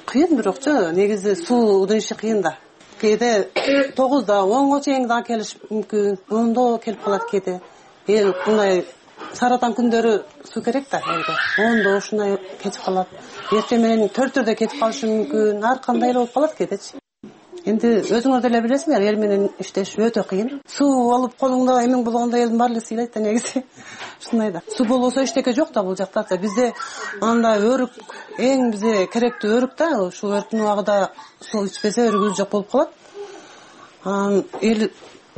Кыйын бирокчу, негизи суудун иши кыйын да. Кээде 9да, 10го чейин да келиш мүмкүн, 10до келип калат кээде. Эл мындай саратан күндөрү суу керек да, элге. 10до ушундай кетип калат. Эртең менен 4-төрдө кетип калышы мүмкүн, ар кандай эле болуп калат кээдечи. Энди өзүңөр деле билесиңер, эл менен иштеш өтө кыйын. Суу алып колуңда эмең болгондо элдин баары эле сыйлайт да негизи. Ушундай да. Суу болбосо эчтеке жок да бул жакта. Бизде анда өрүк эң бизге керектүү өрүк да. Ушул өрүктүн убагында суу ичпесе өрүгүбүз жок болуп калат. Эл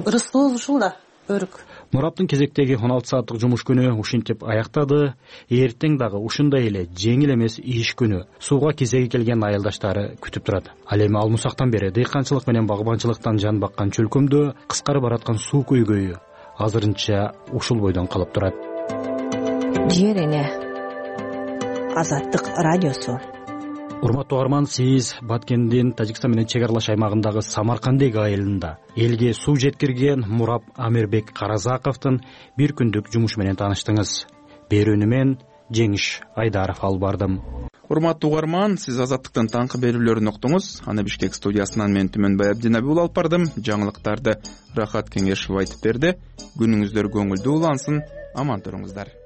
ырыскыбыз ушул да өрүк. Мураптын кезектеги 16 сааттык жумуш күнү ушинтип аяктады. Эртең дагы ушундай эле жеңил эмес иш күнү сууга кезеги келген айылдаштары күтүп турат. Ал эми алмусактан бери дыйканчылык менен багбанчылыктан жан баккан чөлкөмдө кыскарып бараткан суу көйгөйү азырынча ушул бойдон калып турат. Жер эне Азаттык радиосу. Урматтуу угарман, сиз Баткендин Тажикстан менен чек аралаш аймагындагы Самаркандек айылында элге суу жеткирген Мурап Амирбек Каразаковдун бир күндүк жумушу менен тааныштыңыз. Берүүнү мен Жеңиш Айдаров алып бардым. Урматтуу угарман, сиз Азаттыктын таңкы берүүлөрүн уктуңуз. Аны Бишкек студиясынан мен Түмөнбай Абдинабиул алып бардым. Жаңылыктарды Рахат Кеңешов айтып берди. Күнүңүздөр көңүлдүү улансын, аман туруңуздар.